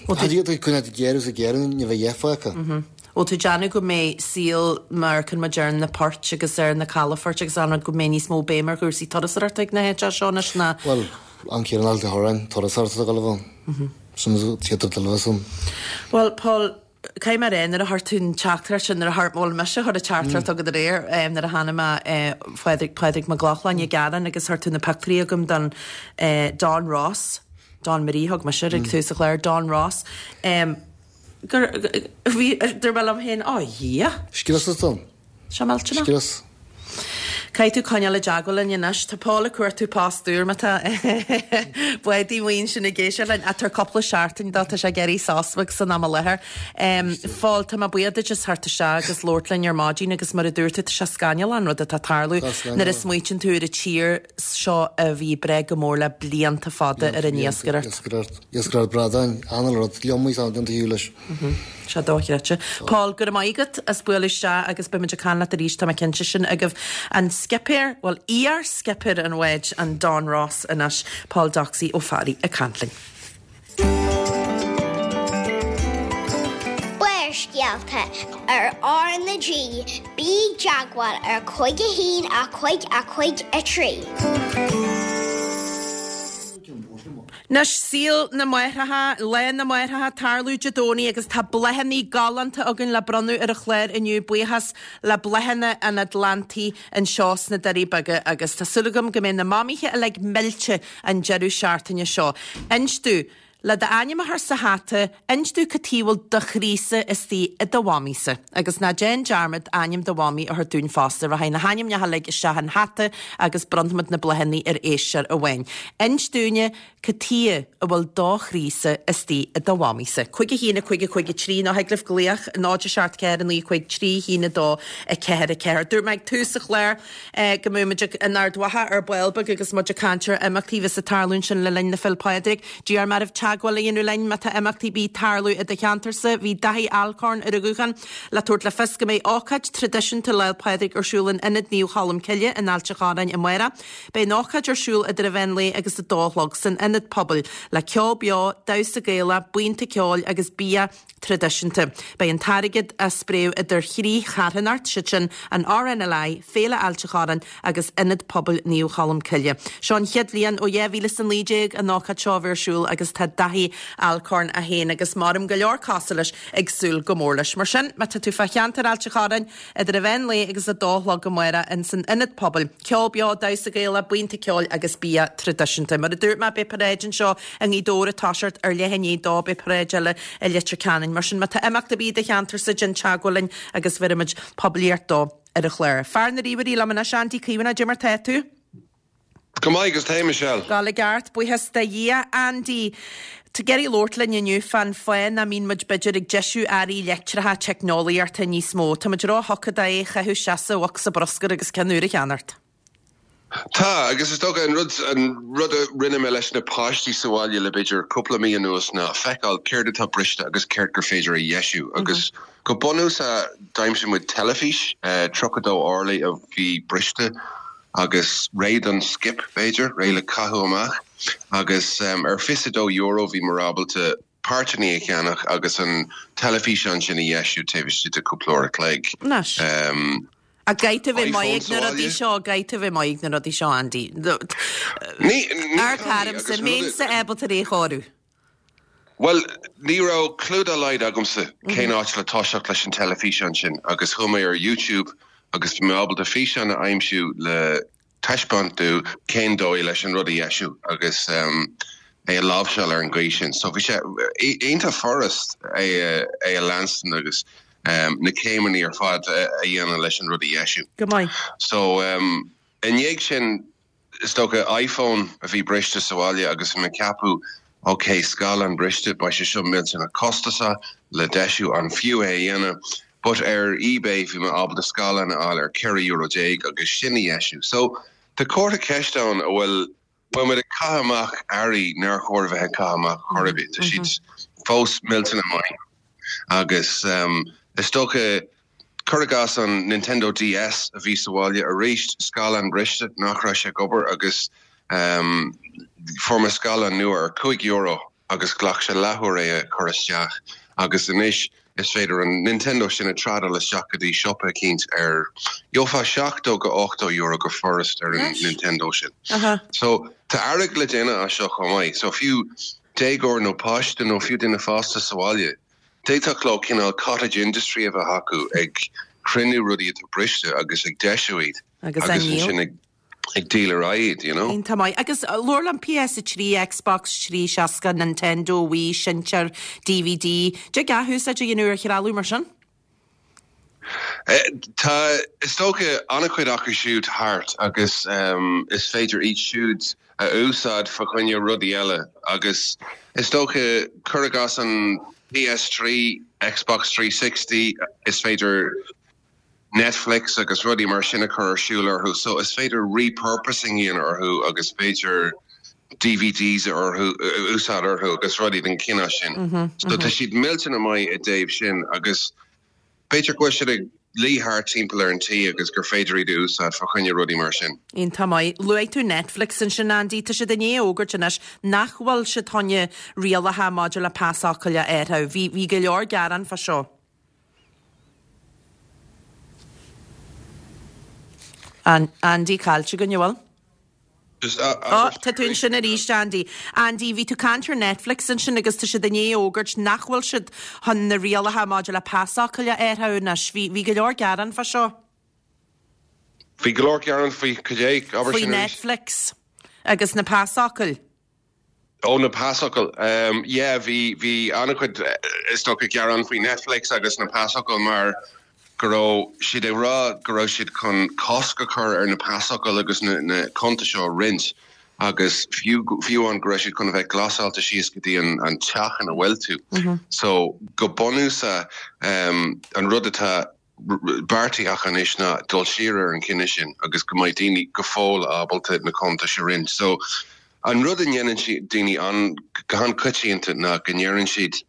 Tá iad ag coinneáil ag géarú is ag géarú ní bheidh a dhath fágtha. Bhfuil tú ag déanamh go mbeidh saol mar amharcann muid ar na poirt agus ar na calafoirt agus an rud go mbeidh níos mó béim ar chúrsaí turasóireachta ag na háiteacha seo anois ná Bhuel, an chéad Ailt an Chorráin, turasóireacht atá ag dul a bheith ann. Sin an chéad rud eile a bheas ann. Bhuel, Paul, Caithfidh mé a rá, nuair a chuir tú an teachtaireacht sin, nuair a chuir, bhuel mise a chuir an teachtaireacht chugat aréir, nuair a chonaic mé Phádraig, Pádraig Mac Lochlainn ag gearán agus chuir tú na pictiúirí chugam don Don Ross, Don Marie thug mise air ag tús an chláir, Don Ross, gur, bhí, dúirt mé liom féin, Ó, a Dhia! Scrios atá ann. Seo millteanach. Scrios. Caithfidh tú coinneáil i dteagmháil linn anois. Tá Paul ag cuartú post úr má tá bádaí amuigh ansin ag éisteacht linn. Ach tabhair cúpla seachtain dó, tá sé ag éirí sos beag san am i láthair. Phóil, tá mé buíoch duit as theacht isteach agus labhairt linn ar maidin agus mar a dúirt tú, tá sé scannalach an rud atá ag tarlú nuair a smaoitíonn tú ar an tír seo a bhí ag brath go mór le blianta fada ar an iascaireacht. Iascaireacht, iascaireacht bradáin, an-rud, iomaí saol déanta thiar leis. Sé dochreidte. Paul, go raibh maith agat as bualadh isteach agus beidh muid ag caint leat arís, tá mé cinnte sin agaibh. An scipéir, bhuel, iar-scipéir an bháid, an Don Ross anois, Paul Doxey ó Fearaí ag caint linn. Barrscéalta ar R na G, bí i dteagmháil ar 5 1 5 5 3. Anois, saol na máithreacha, Lá na Máithreacha, tarlú Dé Domhnaigh agus tá bláthanna galánta againn le bronnadh ar an chlár inniu, buíochas le Bláthanna an Atlantaigh anseo sna Doirí Beaga agus tá súil agam go mbeidh na mamaithe uilig millte an deireadh seachtaine seo. Inis domh, le d'ainm a chur sa hata, inis domh cad chuige a bhfuil do chroísa istigh i do mhamaísa. Agus ná déan dearmad ainm do mhamaí a thabhairt dúinn fosta. Rachaidh na hainmneacha uilig isteach in hata agus bronnfaimid na bláthanna ar éisteoir amháin. Inis dúinne cad chuige a bhfuil do chroísa istigh i do mhamaísa. 5 1 5 5 3 nó thig libh glaoch 0 7 4 9 5 3 1 2 4 4. Dúirt mé ag tús an chláir go mbeadh muid in Ard Mhacha ar ball beag agus muid ag caint ar imeachtaí a bheas ag tarlú ansin le linn na Féile Pádraig. D'iarr mé oraibh teagmháil a dhéanamh linn má tá imeachtaí ar bith ag tarlú i do cheantarsa. Bhí Daithí Alcorn ar an ghuthán le tabhairt le fios go mbeidh ócáid traidisiúnta Lá 'le Pádraig ar siúl in Ionad Naomh Cholm Cille in Ailt an Chorráin amárach. Beidh an ócáid ar siúl idir an mheán lae agus a dó a chlog san ionad pobail le ceol beo, damhsa Gaelach, buíonta ceoil agus bia traidisiúnta. Beidh an t-airgead á spréadh idir thrí charthanacht, siad sin an RNLI, Féile Ailt an Chorráin agus Ionad Pobail Naomh Cholm Cille. Seo an chéad bhliain ó 2019 an ócáid seo a bheith ar siúl agus tá Daithí Alcorn é féin agus maram go leor cosúil leis ag súil go mór leis. Mar sin, má tá tú fá cheantar Ailt an Chorráin, Idir an mheán lae agus a dó a chlog amárach ins an Ionad Pobail. Ceol beo, damhsa Gaelach, buíonta ceoil agus bia traidisiúnta. Mar a dúirt mé, beidh paráid anseo i nGaoth Dobhair ag toiseacht ar leath i ndiaidh a dó, beidh paráid eile i Leitir Ceanainn. Mar sin, má tá imeacht ar bith i do cheantarsa, déan teagmháil linn agus bhéarfaimid poiblíocht dó ar an chlár. Fear na ríomhairí liom anois, Andy Caomhánach, cad é mar tá tú? Go maith agus tú, Michelle? Gabháil i gceart, buíochas do Dhia. Andy, tá tú ag iarraidh labhairt linn inniu fán fáth nach mbíonn muid b'fhéidir ag deisiú earraí leictreacha teicneolaíochta níos mó. Tá muid ró-thugtha do é a chaitheamh isteach sa bhocsa bruscair agus ceann úr a cheannacht. Tá, agus is dócha an rud, an rud a rinne mé leis na páistí sa bhaile le b'fhéidir cúpla mí anuas ná feiceáil céard atá briste agus céard gur féidir a dheisiú agus go bunúsach d'aimsigh muid teilifís, 32 orlaí a bhí briste agus réidh don skip, b'fhéidir, réidh le caitheamh amach agus ar €22 bhí muid ábalta páirteanna a cheannach agus an teilifíseán sin a dheisiú taobh istigh de cúpla uair a chloig. Anois. Ach caithfidh tú a bheith maith ag na rudaí seo, caithfidh tú a bheith maith ag na rudaí seo, Andy. Ní, ní Ar caramsa, mbeinnse ábalta é a chóiriú. Bhuel, ní raibh clue dá laghad agamsa cén áit le toiseacht leis an teilifíseán sin agus chuaigh mé ar YouTube agus bhí mé ábalta físeán a aimsiú le taispeáint domh cén dóigh leis an rud a dheisiú agus é a láimhseáil ar an gcaoi sin. So bhí sé iontach furast é a leanstan agus na céimeanna ar fad a dhéanamh leis an rud a dheisiú. Go maith. So i ndiaidh sin Is dócha iPhone a bhí briste sa bhaile agus bhí mé ag ceapadh ok, scáileán briste, beidh sé seo millteanach costasach le deisiú, an fiú é a dhéanamh? But ar eBay bhí mé ábalta scáileán a fháil ar 14 euro agus sin a dheisiú. So tá comhartha ceiste ann an bhfuil bhfuil muid ag caitheamh amach earraí nár chóir a bheith ag caitheamh amach chor ar bith. Tá siad fós millteanach maith agus is dócha Cuir i gcás an Nintendo DS a bhí sa bhaile arís, scáileán briste, nach raibh sé ag obair agus fuair mé scáileán nua ar €5 agus ghlac sé leathuair é a chur isteach agus anois is féidir an Nintendo sin a trádáil isteach go dtí siopa eicínt ar gheofá €70-80 go furast ar an Nintendo sin. So tá airgead le déanamh as seo chomh maith. So fiú déagóir nó páiste nó fiú duine fásta sa bhaile, D'fhéadfadh leo cineál cottage industry a bheith acu ag cruinniú rudaí atá briste agus ag deisiú iad Agus á agus ndíol. ansin ag ag díol ar aghaidh iad, you know. Iontach maith. Agus labhair liom, PS3, Xbox 360, Nintendo, Wii, seinnteoir DVD. Dtig athúsáid a dhéanamh ar threalamh mar sin? Tá, is dócha, an-chuid acu siúd thart agus is féidir iad siúd a úsáid fa choinne rudaí eile agus is dócha, cuir i gcás an PS3, Xbox 360, is féidir Netflix agus rudaí mar sin a chur ar siúl orthu so is féidir repurposing a dhéanamh orthu agus b'fhéidir DVDs a orthu, a úsáid orthu agus rudaí den chineál sin. So tá siad millteanach maith i dtaobh sin agus b'fhéidir go bhfuil siad ag luí thart timpeall ar an tí agus gur féidir iad a úsáid fá choinne rudaí mar sin. Iontach maith. Luaigh tú Netflix ansin, Andy. Tá siad i ndiaidh a fhógairt anois nach bhfuil siad chun rialacha maidir le pasfhocail a athrú. Bhí, bhí go leor gearán fá seo. Andy caillte againn, an bhfuil? Ó, tá tú ansin arís, Andy. Andy, bhí tú ag caint ar Netflix ansin agus tá siad i ndiaidh a fhógairt nach bhfuil siad chun na rialacha maidir le pasfhocail a athrú anois. Bhí, bhí go leor gearán fá seo. Bhí go leor gearán faoi cad é? Abair Faoi sin arís. Netflix agus na pasfhocail. Ó, na pasfhocail. Yeah, bhí, bhí an-chuid, is dócha, gearán faoi Netflix agus na pasfhocail mar go raibh siad ag rá go raibh siad chun cosc a chur ar na pasfhocail agus na, na cuntais seo a roinnt agus fiú, fiú amháin go raibh siad chun a bheith glasáilte síos go dtí an, an teach ina bhfuil tú. So, go bunúsach, an rud atá beartaithe acu anois ná dul siar ar an chinneadh sin agus go mbeidh daoine go fóill ábalta na cuntais a roinnt. So, an rud a ndéanann daoine an, go han-choitianta ná go ndeireann siad,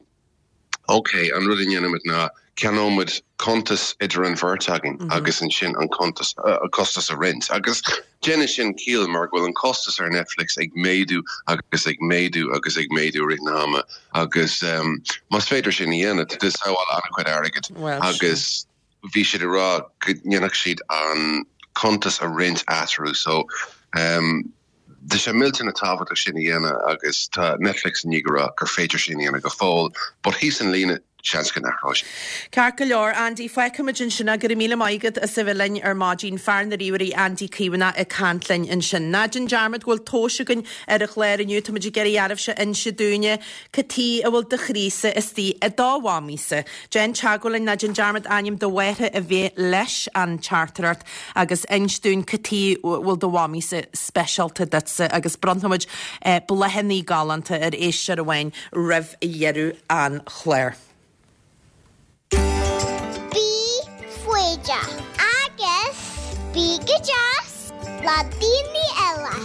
ok, an rud a ndéanaimid ná ceannóimid cuntas idir an bheirt againn agus ansin an cuntas, an costas a roinnt. Agus déanann sin ciall mar go bhfuil an costas ar Netflix ag méadú agus ag méadú agus ag méadú i rith an ama agus más féidir sin a dhéanamh, tá tú ag sábháil an-chuid airgid agus bhí siad ag rá go ndéanfadh siad an cuntas a roinnt eatarthu so tá sé millteanach tábhachtach sin a dhéanamh agus tá Netflix i ndiaidh a rá gur féidir sin a dhéanamh go fóill but thíos an líne. Seans go n-athróidh sé. Ceart go leor, Andy, fágfaimid ansin é. Go raibh míle maith agat as a bheith linn ar maidin. Fear na ríomhairí, Andy Caomhánach ag caint linn ansin. Ná déan dearmad go bhfuil tomhais againn ar an chlár inniu. Táimid ag iarraidh oraibhse inse dúinne cad chuige a bhfuil do chroísa istigh i do mhamaísa. Déan teagmháil linn, ná déan dearmad ainm do mháthara a bheith leis an teachtaireacht agus inis dúinn cad chuige a bhfuil do mhamaísa speisialta duitse agus bronnfaimid bláthanna galánta ar éisteoir amháin roimh dheireadh an chláir. Bí foighdeach agus bí go deas le daoine eile.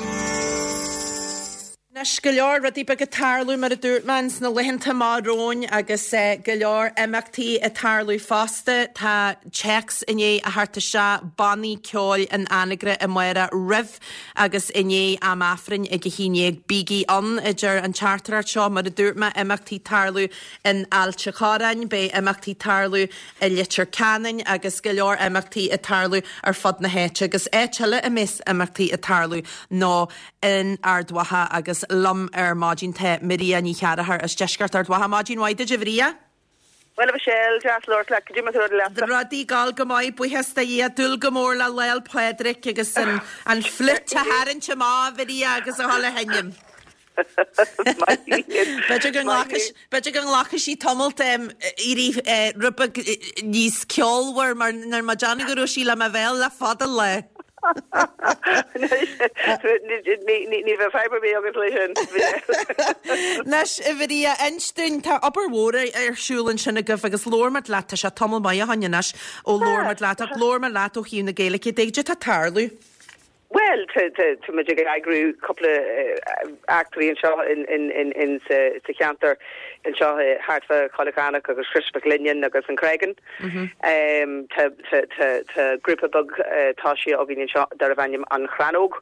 Anois, go leor rudaí beaga ag tarlú, mar a dúirt mé, ins na laethanta amach romhainn agus go leor imeachtaí ag tarlú fosta. Tá téacs i ndiaidh a theacht isteach, bannaí ceoil in Anagaire amárach roimh Agus i ndiaidh am Aifrinn ag a 11, bígí ann, a deir an teachtaireacht seo. Mar a dúirt mé, imeachtaí tarlú in Ailt a' Chorráin, beidh imeachtaí tarlú i Leitir Ceanainn agus go leor imeachtaí ag tarlú ar fud na háite. Agus áit eile a mbeas imeachtaí ag tarlú ná in Ard Mhacha agus liom ar maidin tá Maria Ní Chearchair as deisceart Ard Mhacha. Maidin mhaith duit, a Mharia. Bhuel, a Mhichelle, deas labhairt leat. Cad é mar atá rudaí leatsa? Rudaí ag gabháil go maith, buíochas do Dhia. Dúil go mór le Lá 'le Pádraig agus an an fliúit a tharraingt amach, a Mharia, agus a dhul a sheinm. B'fhéidir go nglacfaidh b'fhéidir go nglacfaidh sí tamalt éirí rud beag níos ceolmhar mar níl mé ag déanamh go raibh sí le mo bhéal le fada an lá. Ní bheadh fadhb ar bith agat leis sin. Anois, a Mharia, inis dúinn, tá obair mhór ar siúl ansin agaibh agus labhair muid leat, tá sé tamall maith ó shoin anois ó labhair muid leat, ach labhair muid leat ó thaobh na Gaeilge de, cad é atá ag tarlú? Bhuel, tá muid ag eagrú cúpla eachtraí anseo sa cheantar anseo thart fá Choill Cheatharlach agus Crois Mhic Lionnáin agus an Creagán. Tá grúpa beag tosaithe againn anseo darbh ainm An Chrannóg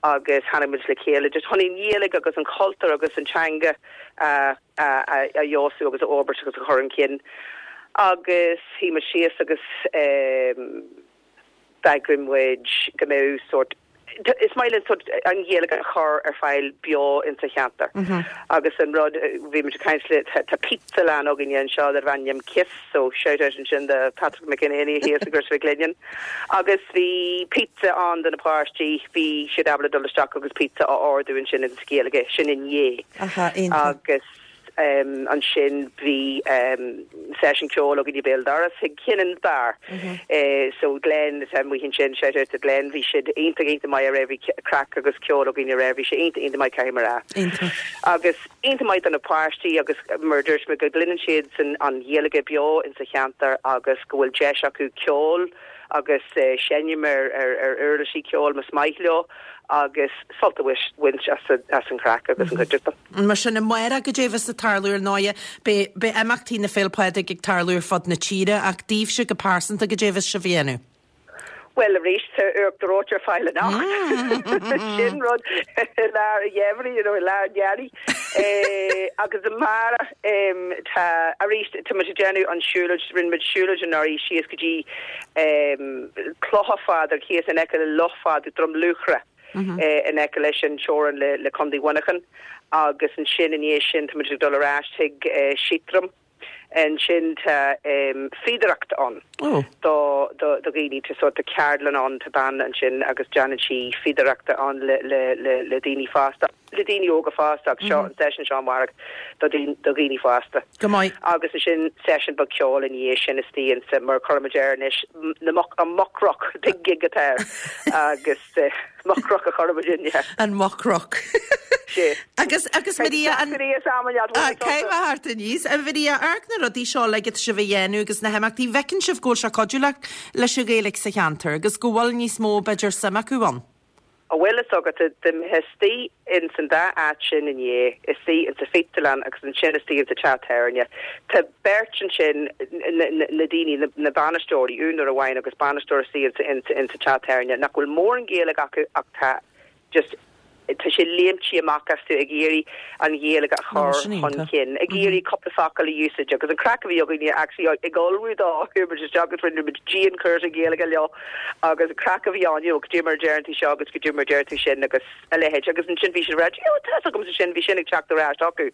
agus tháinig muid le chéile just chun an Ghaeilge agus an cultúr agus an teanga a fheabhsú agus a fhorbairt agus a chur chun cinn. Agus shuigh muid síos agus D'eagraigh muid go mbeadh sórt, is maith linn sórt an Ghaeilge a chur ar fáil beo insa cheantar. Agus an rud, bhí muid ag caint le, tá pizzalann againne anseo darbh ainm Kiss, so shout out ansin do Patrick McEnany thíos i gCrois Mhic Lionnáin. Agus bhí pizza ann do na páistí, bhí siad ábalta dul isteach agus pizza a ordú ansin insa Ghaeilge, sin inné. Agus. Ansin bhí seisiún ceoil againn i béal doras ag Kinnan's Bar. So Glenn atá amuigh ansin, shout out to Glenn, bhí siad iontach iontach maith aréir, bhí craic agus ceol againn aréir, bhí sé iontach iontach maith caithfidh mé a rá. Iontach. Agus iontach maith do na páistí agus mar a dúirt mé go gcluineann siad san an Ghaeilge beo insa cheantar agus go bhfuil deis acu ceol agus seinm ar ar uirlisí ceoil más maith leo agus sult a bhaint as an chraic agus an chuideachta. Mar sin, amárach, cad é a bheas ag tarlú ar ndóighe, beidh, beidh imeachtaí na Féile Pádraig ag tarlú ar fud na tíre, ach daoibhse go pearsanta, cad é a bheas sibh a dhéanamh? Bhuel, arís, tá uachtar reoite ar fáil anocht. Sin rud i lár an gheimhridh, you know, i lár an earraigh. Agus amárach, tá, arís, tá muid ag déanamh an siúlóid, rinne muid siúlóid anuraidh síos go dtí Clocha Phádraig thíos in aice le Loch Phádraig, Droim Luachra. in aice leis an teorainn le Contae Mhuineacháin agus ansin i ndiaidh sin tá muid ag dul ar ais chuig Seatram. Ansin tá fíodóireacht ann do dhaoine, tá sórt ceardlann ann, tá bean ansin agus déanann sí fíodóireachta ann le daoine fásta, le daoine óga fosta ach seo an seisiún seo amárach do dhaoine fásta. Go maith. Agus ansin seisiún beag ceoil ina dhiaidh sin istigh insa, mar a chuirimid air anois, na muc, an Muck Ruck, big gig atá air agus. Muck Ruck a chuirimid in. An Muck Ruck. Sé. Agus, agus Maria, an... Maria Salmon, Ah, cé bheith thart aníos? A Mharia, amharc na rudaí seo uilig atá sibh a dhéanamh agus na himeachtaí, bhfeiceann sibh go bhfuil sé ag cuidiú le, leis an Ghaeilge sa cheantar agus go bhfuil níos mó, b'fhéidir, suim acu ann? An bhfuil fhios agat, dá mbeifeá istigh ins an dá áit sin inné, istigh insa phictiúrlann agus ansin istigh insa teach tábhairne, tá beirt ansin, na daoine, na bainisteoirí, úinéir amháin agus bainisteoir istigh insa teach tábhairne, nach bhfuil mórán Gaeilge acu ach tá just. tá sé léimtí amach astu ag iarraidh an Ghaeilge a chur chun cinn, ag iarraidh cúpla focal a úsáid agus an craic a bhí againne actually ag ullmhú dó, chuaigh muid isteach agus rinne muid dianchúrsa Gaeilge leo agus an craic a bhí ann, you know, goidé mar a deireann tú seo agus goidé mar a deir tú sin agus a leithéid agus ansin bhí siad ag rá, you know, tá fhios agamsa sin, bhí sin ag teacht ar ais acu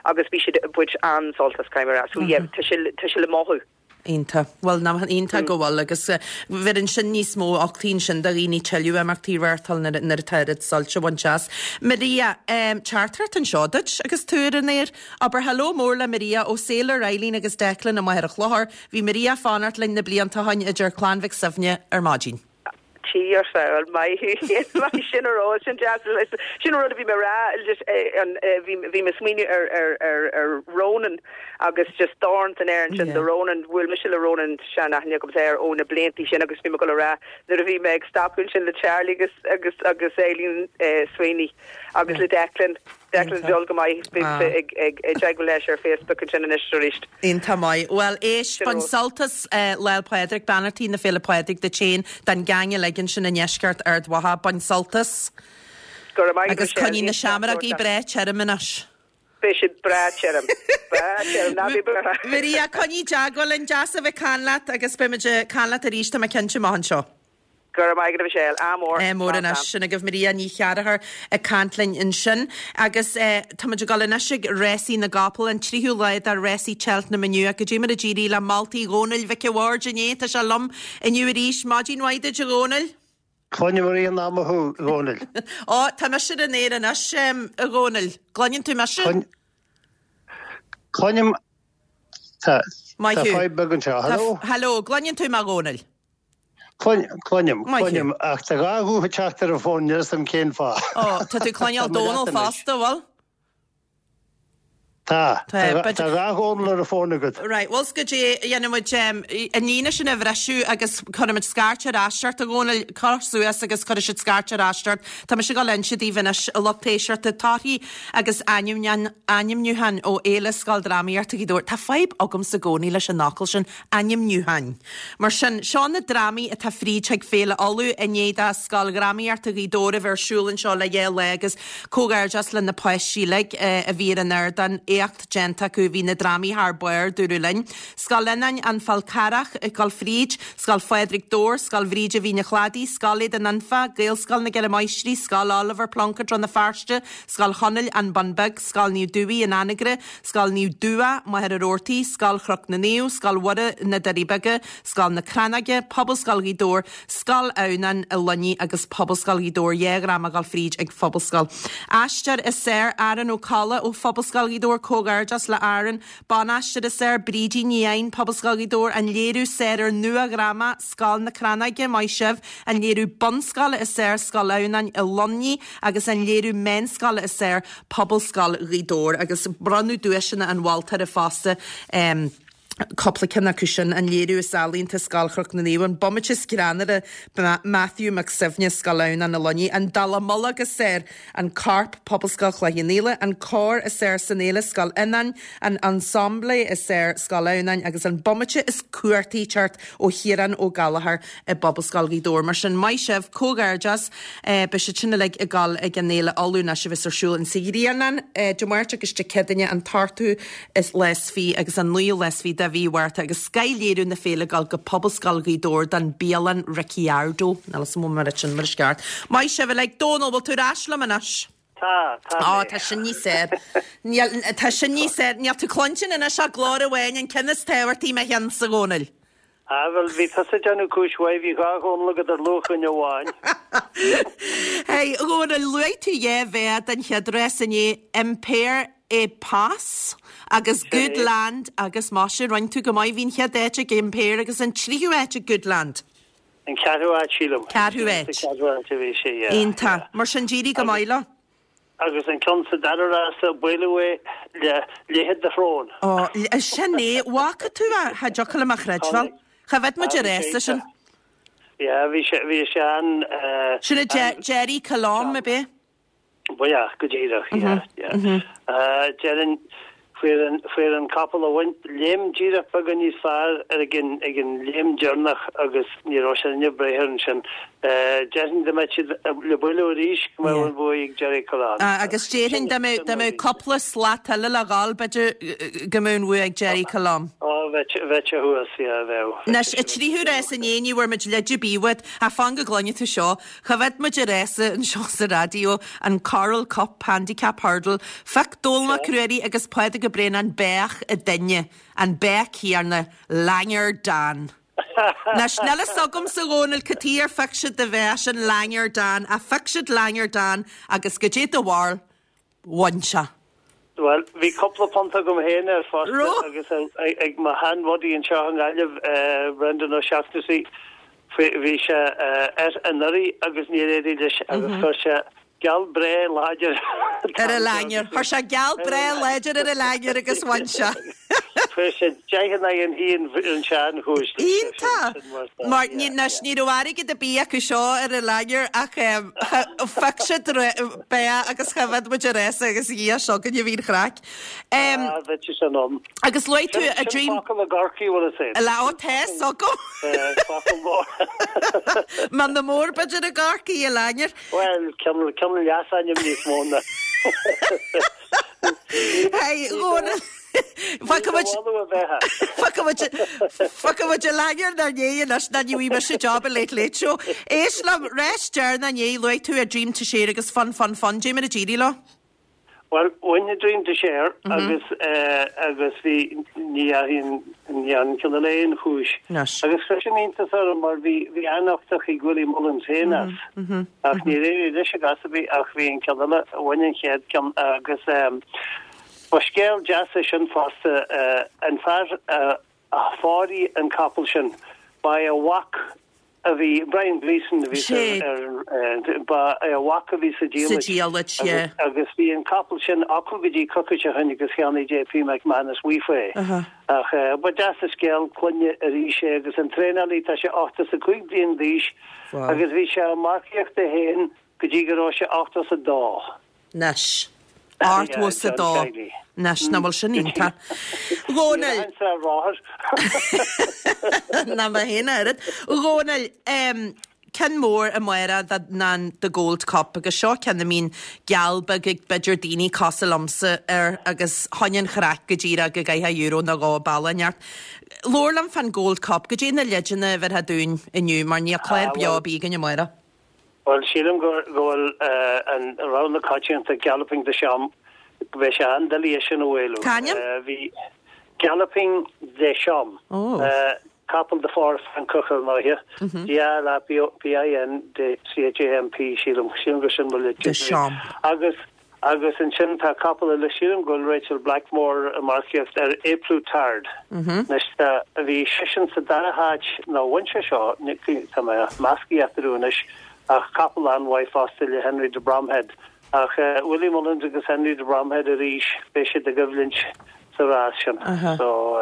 agus bhí siad ag baint an-sult as, caithfidh mé a rá. So yeah, tá sé, tá sé le mothú. Iontach. Bhuel, ná, iontach go bhfuil agus bheireann sin níos mó uchtaí ansin do dhaoine tuilleadh imeachtaí a reáchtáil nuair atá oiread suilt á bhaint as. Maria, teachtaireacht anseo duit agus tú ar an aer. Abair hello mór le Maria ó Sailor, Eileen agus Declan i Machaire Chlochair. Bhí Maria ag fanacht linn na blianta ó shoin a deir Clann Mhic Suibhne ar maidin. Tí ar fáil. Maith thú féin. Maith sin a rá. Sin deas. Sin an rud a bhí mé a rá. Just an bhí bhí mé ag smaoineamh ar ar ar ar Ronan agus just dorn san aer ansin do Ronan. Bhuail mise le Ronan sean-aithne agamsa air ó na bliantaí sin agus bhí mé ag dul a rá nuair a bhí mé ag stopadh ansin le Charlie agus agus agus Eileen Sweeney agus le Declan. Declan dul go maith. Bhí mise ag ag ag teagmháil leis ar Facebook ansin anois arís. Iontach maith. Bhuel, éist, bain sult as Lá 'le Pádraig, beannachtaí na Féile Pádraig duit féin, don geaing uilig ansin i ndeisceart Ard Mhacha. Bain sult as. Go raibh maith agat, Agus Michelle. coinnigh na seamrógaí breá tirim anois. Beidh siad breá tirim. Breá tirim, ná bí buartha. Maria, coinnigh i dteagmháil linn. Deas a bheith ag caint leat agus beidh muid ag caint leat arís, tá mé cinnte, amach anseo. Go raibh maith agat a Mhichelle. Ádh mór. Ádh mór anois. Sin agaibh Maria Ní Chearchair ag caint linn ansin. Agus tá muid ag dul anois ag rásaí na gcapall, an tríú lá de rásaí Cheltenham inniu. Goidé mar a d'éirigh le moltaí Dhónaill Mhic a' Bhaird inné. Tá sé liom inniu arís. Maidin mhaith duit a Dhónaill. Cluinim i rith an ama thú, a Dhónaill. Ó, tá mise ar an aer anois, a Dhónaill. Gcluineann tú mise? Cluinim. Tá Maith thú. fadhb beag anseo. Hello? Hello, gcluineann tú mé, a Dhónaill? Cluinim, cluinim, ach tá dhá ghuth ag teacht ar an bhfón, níl 'fhios a'm cén fáth. Ó, tá tú ag cluineáil Dónal fosta, bhfuil? Tá, tá dhá Dhónal ar an bhfón agat. Right, bhfuil 's goidé a dhéanfaidh muid, an líne sin a bhriseadh agus cuirfidh muid scairt ar ais ort, a Dhónaill, cuir suas agus cuirfidh siad scairt ar ais ort. Tá mise ag dul a inse daoibh anois, a lucht éisteachta, torthaí agus ainmniúcháin ó Fhéile Scoildrámaíochta Ghaoth Dobhair. Tá fadhb agamsa i gcónaí leis an fhocal sin, ainmniúcháin. Mar sin, seo na drámaí atá fríd chuig Féile Uladh i ndiaidh do Scoil Dhrámaíochta Ghaoth Dobhair a bheith ar siúl anseo le dhá lá agus comhghairdeas le na páistí uilig a bhí ar an ardán, éacht déanta acu, bhí na drámaí thar barr, dúradh linn. Scoil Fhionáin, An Fál Carrach ag dul fríd, Scoil Phádraig Dobhair, Scoil Bhríde Mhín an Chladaigh, Scoil Aodáin Anfa, Gaelscoil na gCeithre Máistrí, Scoil Oliver Plunkett Rann na Feirste, Scoil Chonaill, An Bun Beag, Scoil Naomh Dubhaigh, An Anagaire, Scoil Naomh Dua, Machaire Rabhartaigh, Scoil Chnoc na Naomh, Scoil Mhuire na Doirí Beaga, Scoil na Crannóige, Pobalscoil Ghaoth Dobhair, Scoil Adhamhnáin i Luinnigh agus Pobalscoil Ghaoth Dobhair, dhá dhráma ag dul fríd ag Phobalscoil. Aisteoir is fearr, Aaron Ó Colla ó Phobalscoil Ghaoth Dobhair, Comhghairdeas le Aaron. Ban-aisteoir is fearr, Brídín Ní Eidhin, Pobalscoil Ghaoth Dobhair, An léiriú is fearr ar nua-dhráma, Scoil na Crannóige, maith sibh. An léiriú bunscoile is fearr, Scoil Adhamhnáin i Luimnigh agus an léiriú meánscoile is fearr, Pobalscoil Ghaoth Dobhair agus bronnadh duaiseanna an mholtóra fosta, cúpla ceann acu sin, an léiriú is ealaíonta, Scoil Chnoc na Naomh, an bomaite is greannmhaire, Matthew Mac Suibhne, Scoil Adhamhnáin i Luinnigh, an dallamullóg is fearr, An Corp, Pobalscoil Chloich Cheann Fhaola, an Cór is fearr san fhéile, Scoil Fhionáin, an Ensemble is fearr, Scoil Adhamhnáin agus an bomaite is cumhachtaí teacht ó Chiarán Ó Gallchóir i bPobalscoil Ghaoth Dobhair. Mar sin, maith sibh, comhghairdeas. Beidh siad sin uilig ag dul ag an Fhéile Uladh anois a bheas ar siúl in sa Ghrianán Dé Máirt agus Dé Céadaoine an t-ochtú is lá is fiche agus an naoú lá is fiche de mhí Mhárta agus scoth-léiriú na féile ag dul go Pobalscoil Ghaoth Dobhair don Bialann Ricciardo. Níl 'fhios a'm an bhfuil sin mar is ceart. Maith sibh uilig. Dónal, bhfuil tú ar ais liom anois? Tá, tá Ó, tá sin níos fearr. Níl, tá sin níos fearr. Níl tú cluinstin anois ach glór amháin, an ceann is tábhachtaí i mo cheannsa, a Dhónaill. Ah, bhuel, bhí tusa ag déanamh cúis mhaith, bhí dhá Dhónal agat ar luach dhuine amháin. Hey, a Dhónaill, luaigh tú dhá bhád den chéad rás inné, Impair Et Passe agus Good Land agus maise, rinne tú go maith, bhí an chéad áit ag Impair agus an tríú áit ag Good Land. An ceathrú áit, sílim. Ceathrú áit. Sa cheathrú áit a bhí sé, yeah. Iontach. Mar sin, d'éirigh go maith leo. Agus an ceann sa dara rása, buaileadh é le leithead do shróin. Ó, sin é. Bhfaca tú é? Cha dtiocfadh liom a chreidbheáil. Cha bhfead muid ar fhéasta sin. Yeah, bhí sé, bhí sé an, eh. Sin é Gerri Colombe, ab é? Ba ea, go díreach, yeah, yeah. Déarfainn. Fuair an, fuair an capall a bhain léim díreach beagán níos fearr ar ag an, ag an léim deireanach agus ní raibh sé in ainm breith air ansin. Déarfainn dá mbeadh siad le bualadh arís go mbeadh an bhuaidh ag Jerry Collawn. Agus déarfainn dá mbeadh, dá mbeadh cúpla slat eile le dhul b'fhéidir go mbeadh an bhua ag Jerry Collawn. Ó, bheadh, bheadh sé thuas, yeah, bheadh. Anois, an tríú rás inné ní bhfuair muid leid ar bith uait, ach fan go gcluinfidh tú seo. Choimhéad muid an rása anseo sa raidió, an Coral Cup Handicap Hurdle. Phioc Dónall Mac Ruairí agus Pádraig Ó Braonáin beach a duine, an beach céanna, Langer Dan. Anois, níl fhios agamsa, a Dhónaill, cad chuige ar phioc siad do bheach sin Langer Dan, ach phioc siad Langer Dan agus goidé do bharúil? Bhain sé. Bhuel, bhí cúpla punt agam féin air fosta agus ag mo shean-bhudaí anseo i nGaillimh, Brendan O'Shaughnessy, bhí sé air anuraidh agus níor éirigh leis agus chuir sé geall breá láidir ar an Langer. Chuir sé geall breá láidir ar an Langer agus bhain sé. Fuair sé 10 in aghaidh an haoin an tseanchúis. Iontach! Mar anois ní raibh airgead ar bith acu seo ar an Langer ach phioc siad beach agus choimhéad muid an rása agus a Dhia seo againne bhí an chraic. Ah, bheadh sé sin ann. Agus luaigh tú a Dream. Sin focal i gCorcaigh, bhfuil fhios a'd. Le ó tá fhios agam. Focal mór. Mionn mór b'fhéidir i gCorcaigh, a Langer. Bhuel, cineál leasainm níos mó ná. Hey, Dhónaill. Fágfaidh muid Fágfaidh muid an Langer inár ndiaidh anois ná ní bhfaighidh mise job i Late Late Show. Éist liom, rás deireanach inné, luaigh tú A Dream to Share agus Fun Fun Fun. Dé mar a d'éirigh leo? Bhuel, bhain A Dream to Share agus agus bhí ní dheachaigh an ní an ceann eile aon chúis. Agus chuir sin iontas orm mar bhí bhí an-uchtach ag Willie Mullins féin as. Ach níor éirigh leis i gcás ar bith ach bhí an ceann eile, bhain an chéad ceann agus ba scéal deas é sin fosta. An fear a phóraigh an capall sin, ba é a mhac a bhí, Brian Gleeson a bhí ar, ba é a mhac a bhí sa diallait. Sa diallait, yeah. Agus bhí an capall sin acu go dtí coicís ó shin agus cheannaigh JP McManus uafa é. Ach ba deas an scéal clainne arís é agus an traenálaí, tá sé 85 bliain d'aois agus bhí sé ag marcaíocht é féin go dtí go raibh sé 82. Anois. 82. Anois, nach bhfuil sin iontach. Dhónaill. Ná mé féin oiread. Dhónaill, ceann mór amárach ná an The Gold Cup agus seo ceann a mbíonn geall beag ag b'fhéidir daoine cosúil liomsa air agus choinne an chraic go díreach go gcaithfeá euro nó dhó bealach inteacht. Labhair liom fán Gold Cup, goidé na leideanna a bhéarfá dúinn inniu mar níl clár beo ar bith againn amárach. Bhuel, sílim go bhfuil an rogha na coitianta, Galloping Des Champs, go mbeidh sé an-doiligh é sin a mhaolú. C'ainm? Bhí Galloping Des Champs, capall de phór Francach ar ndóighe, G-A-L-L-O-P-I-N-D-C-H-A-M-P, sílim, sílim gur sin mo Des Champs. Agus Agus ansin tá capall eile, sílim go bhfuil Rachael Blackmore ag marcaíocht ar A Plus Tard. Anois tá, bhí seisean sa dara háit, nó bhain sé seo, tá mé measctha eatarthu anois, ach capall an-mhaith fosta le Henry de Bromhead. Ach Willie Mullins agus Henry de Bromhead arís, beidh siad i gcoimhlint sa rás sin. So,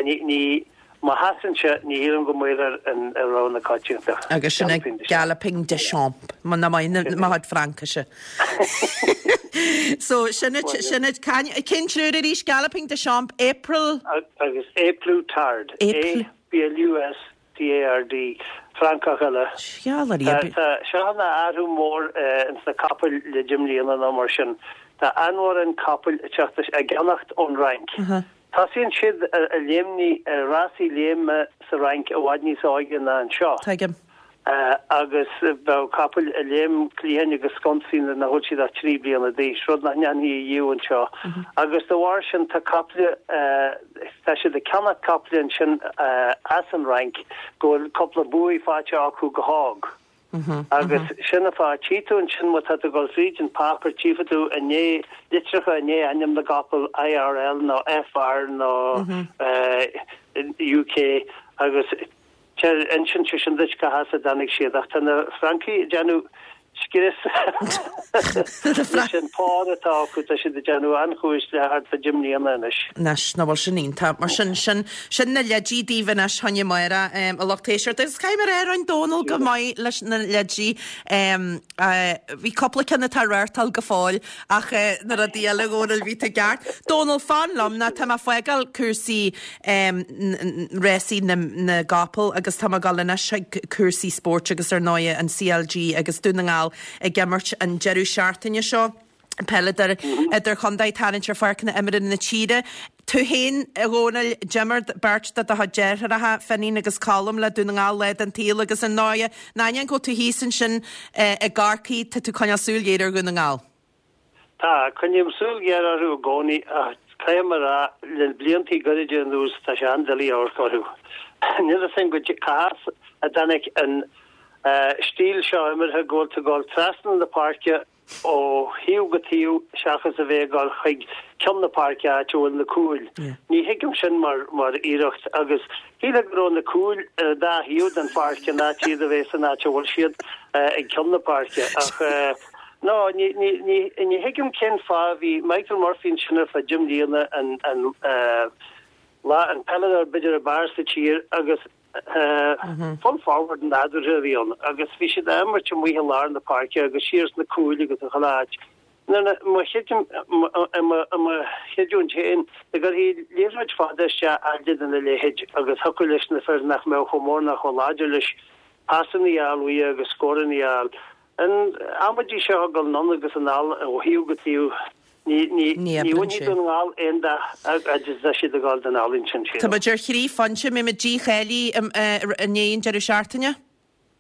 ní, ní, Má sheasann sé, ní shílim go maolóidh an rogha na coitianta. Agus sin é Galloping Des Champs, muna maith mo chuid Fraincise. So, sin it, sin it. Cén triúr arís? Galloping Des Champs, April? Agus A Plus Tard. A P L U S T A R D. Francach eile. Tá seo ina athrú mór ins na capaill le deich mbliana nó mar sin. Tá an-mhórán capaill ag teacht, á gceannacht ón Fhrainc. Tosaíonn siad ag léimnigh ar rásaí léime sa Fhrainc i bhfad níos óige ná anseo. Tuigim. Agus bheadh capaill ag léim cliatháin agus sconsaí nuair nach bhfuil siad ach 3 bliana d'aois, rud nach ndéanfaí ariamh anseo. Agus de bharr sin tá caiple, tá siad ag ceannach caiple ansin as an Fhrainc go bhfuil cúpla buaidh faighte acu go hóg. Agus sin an fáth, tchí tú ansin má tá tú ag dul fríd an páipéar, tchífidh tú i ndiaidh, litreacha i ndiaidh ainm na gcapall, IRL nó FR nó UK agus insíonn sé sin duit cá has a dtáinig siad. Ach tá na Francaigh ag déanamh, Scrios leis an phár atá acu, tá siad ag déanamh an-chúis le thart fá deich mbliana anois. Anois, nach bhfuil sin iontach. Mar sin, sin, sin na leidí daoibh anois fá choinne amárach, a lucht éisteachta. Agus caithfidh mé a rá, rinne Dónal go maith leis na leidí. Bhí cúpla ceann atá ag reáchtáil go fóill ach na rudaí eile, a Dhónaill, bhí tú ceart. Dónal, fan liom, nó tá mé ag fágáil cúrsaí rásaí na gcapall agus tá mé ag dul anois chuig cúrsaí spóirt agus ar ndóigh an CLG agus Dún na nGall ag imirt an deireadh seachtaine seo. Peileadóir idirchontae ag tarraingt ar pháirceanna imeartha na tíre. Tú féin, a Dhónaill, d'imir beirt de do chuid deartháireacha, Finín agus Colm, le Dún na nGall lá den tsaol agus ar ndóigh, in ainneoin go bhfuil tú thíos ansin i gCorcaigh, tá tú ag coinneáil súil ghéar ar Dhún na nGall. Tá, coinním súil ghéar orthu i gcónaí ach caithfidh mé a rá, le bliantaí gairide anuas tá sé an-doiligh amharc orthu. Níl fhios agam goidé cá has a dtáinig an stíl seo imeartha go bhfuil tú ag dul trasna na páirce ó thaobh go taobh seachas a bheith ag dul chuig ceann na páirce áit a bhfuil na cúil. Ní thuigim sin mar mar iarracht agus shílfeá go raibh na cúil ar an dá thaobh den pháirc in áit iad a bheith san áit a bhfuil siad ag ceann na páirce ach No, ní ní ní ní thuigim cén fáth bhí Michael Murphy ansin ar feadh deich mbliana an an lá an peileadóir b'fhéidir ab fhearr sa tír agus full forward nádúrtha a bhí ann agus bhí siad á imirt amuigh i lár na páirce agus siar sna cúil agus i chuile áit. Nuair a mo i mo i mo chreidiúint féin, dá gcuirfí liathróid fada isteach fhad lena leithéid agus thiocfadh leis na fir nach mbeadh chomh mór ná chomh láidir leis pasanna a fháil uaidh agus scóranna a fháil. An amaidí seo ag dul anonn agus anall ó thaobh go taobh, ní ní Ní oibreann bhainfidh sé. Dún na nGall aon dath fhad is atá siad ag dul den ealaín sin, Tá sílim. muid ar thrí phointe, mbeidh muid dícháilithe i ndiaidh an deireadh seachtaine?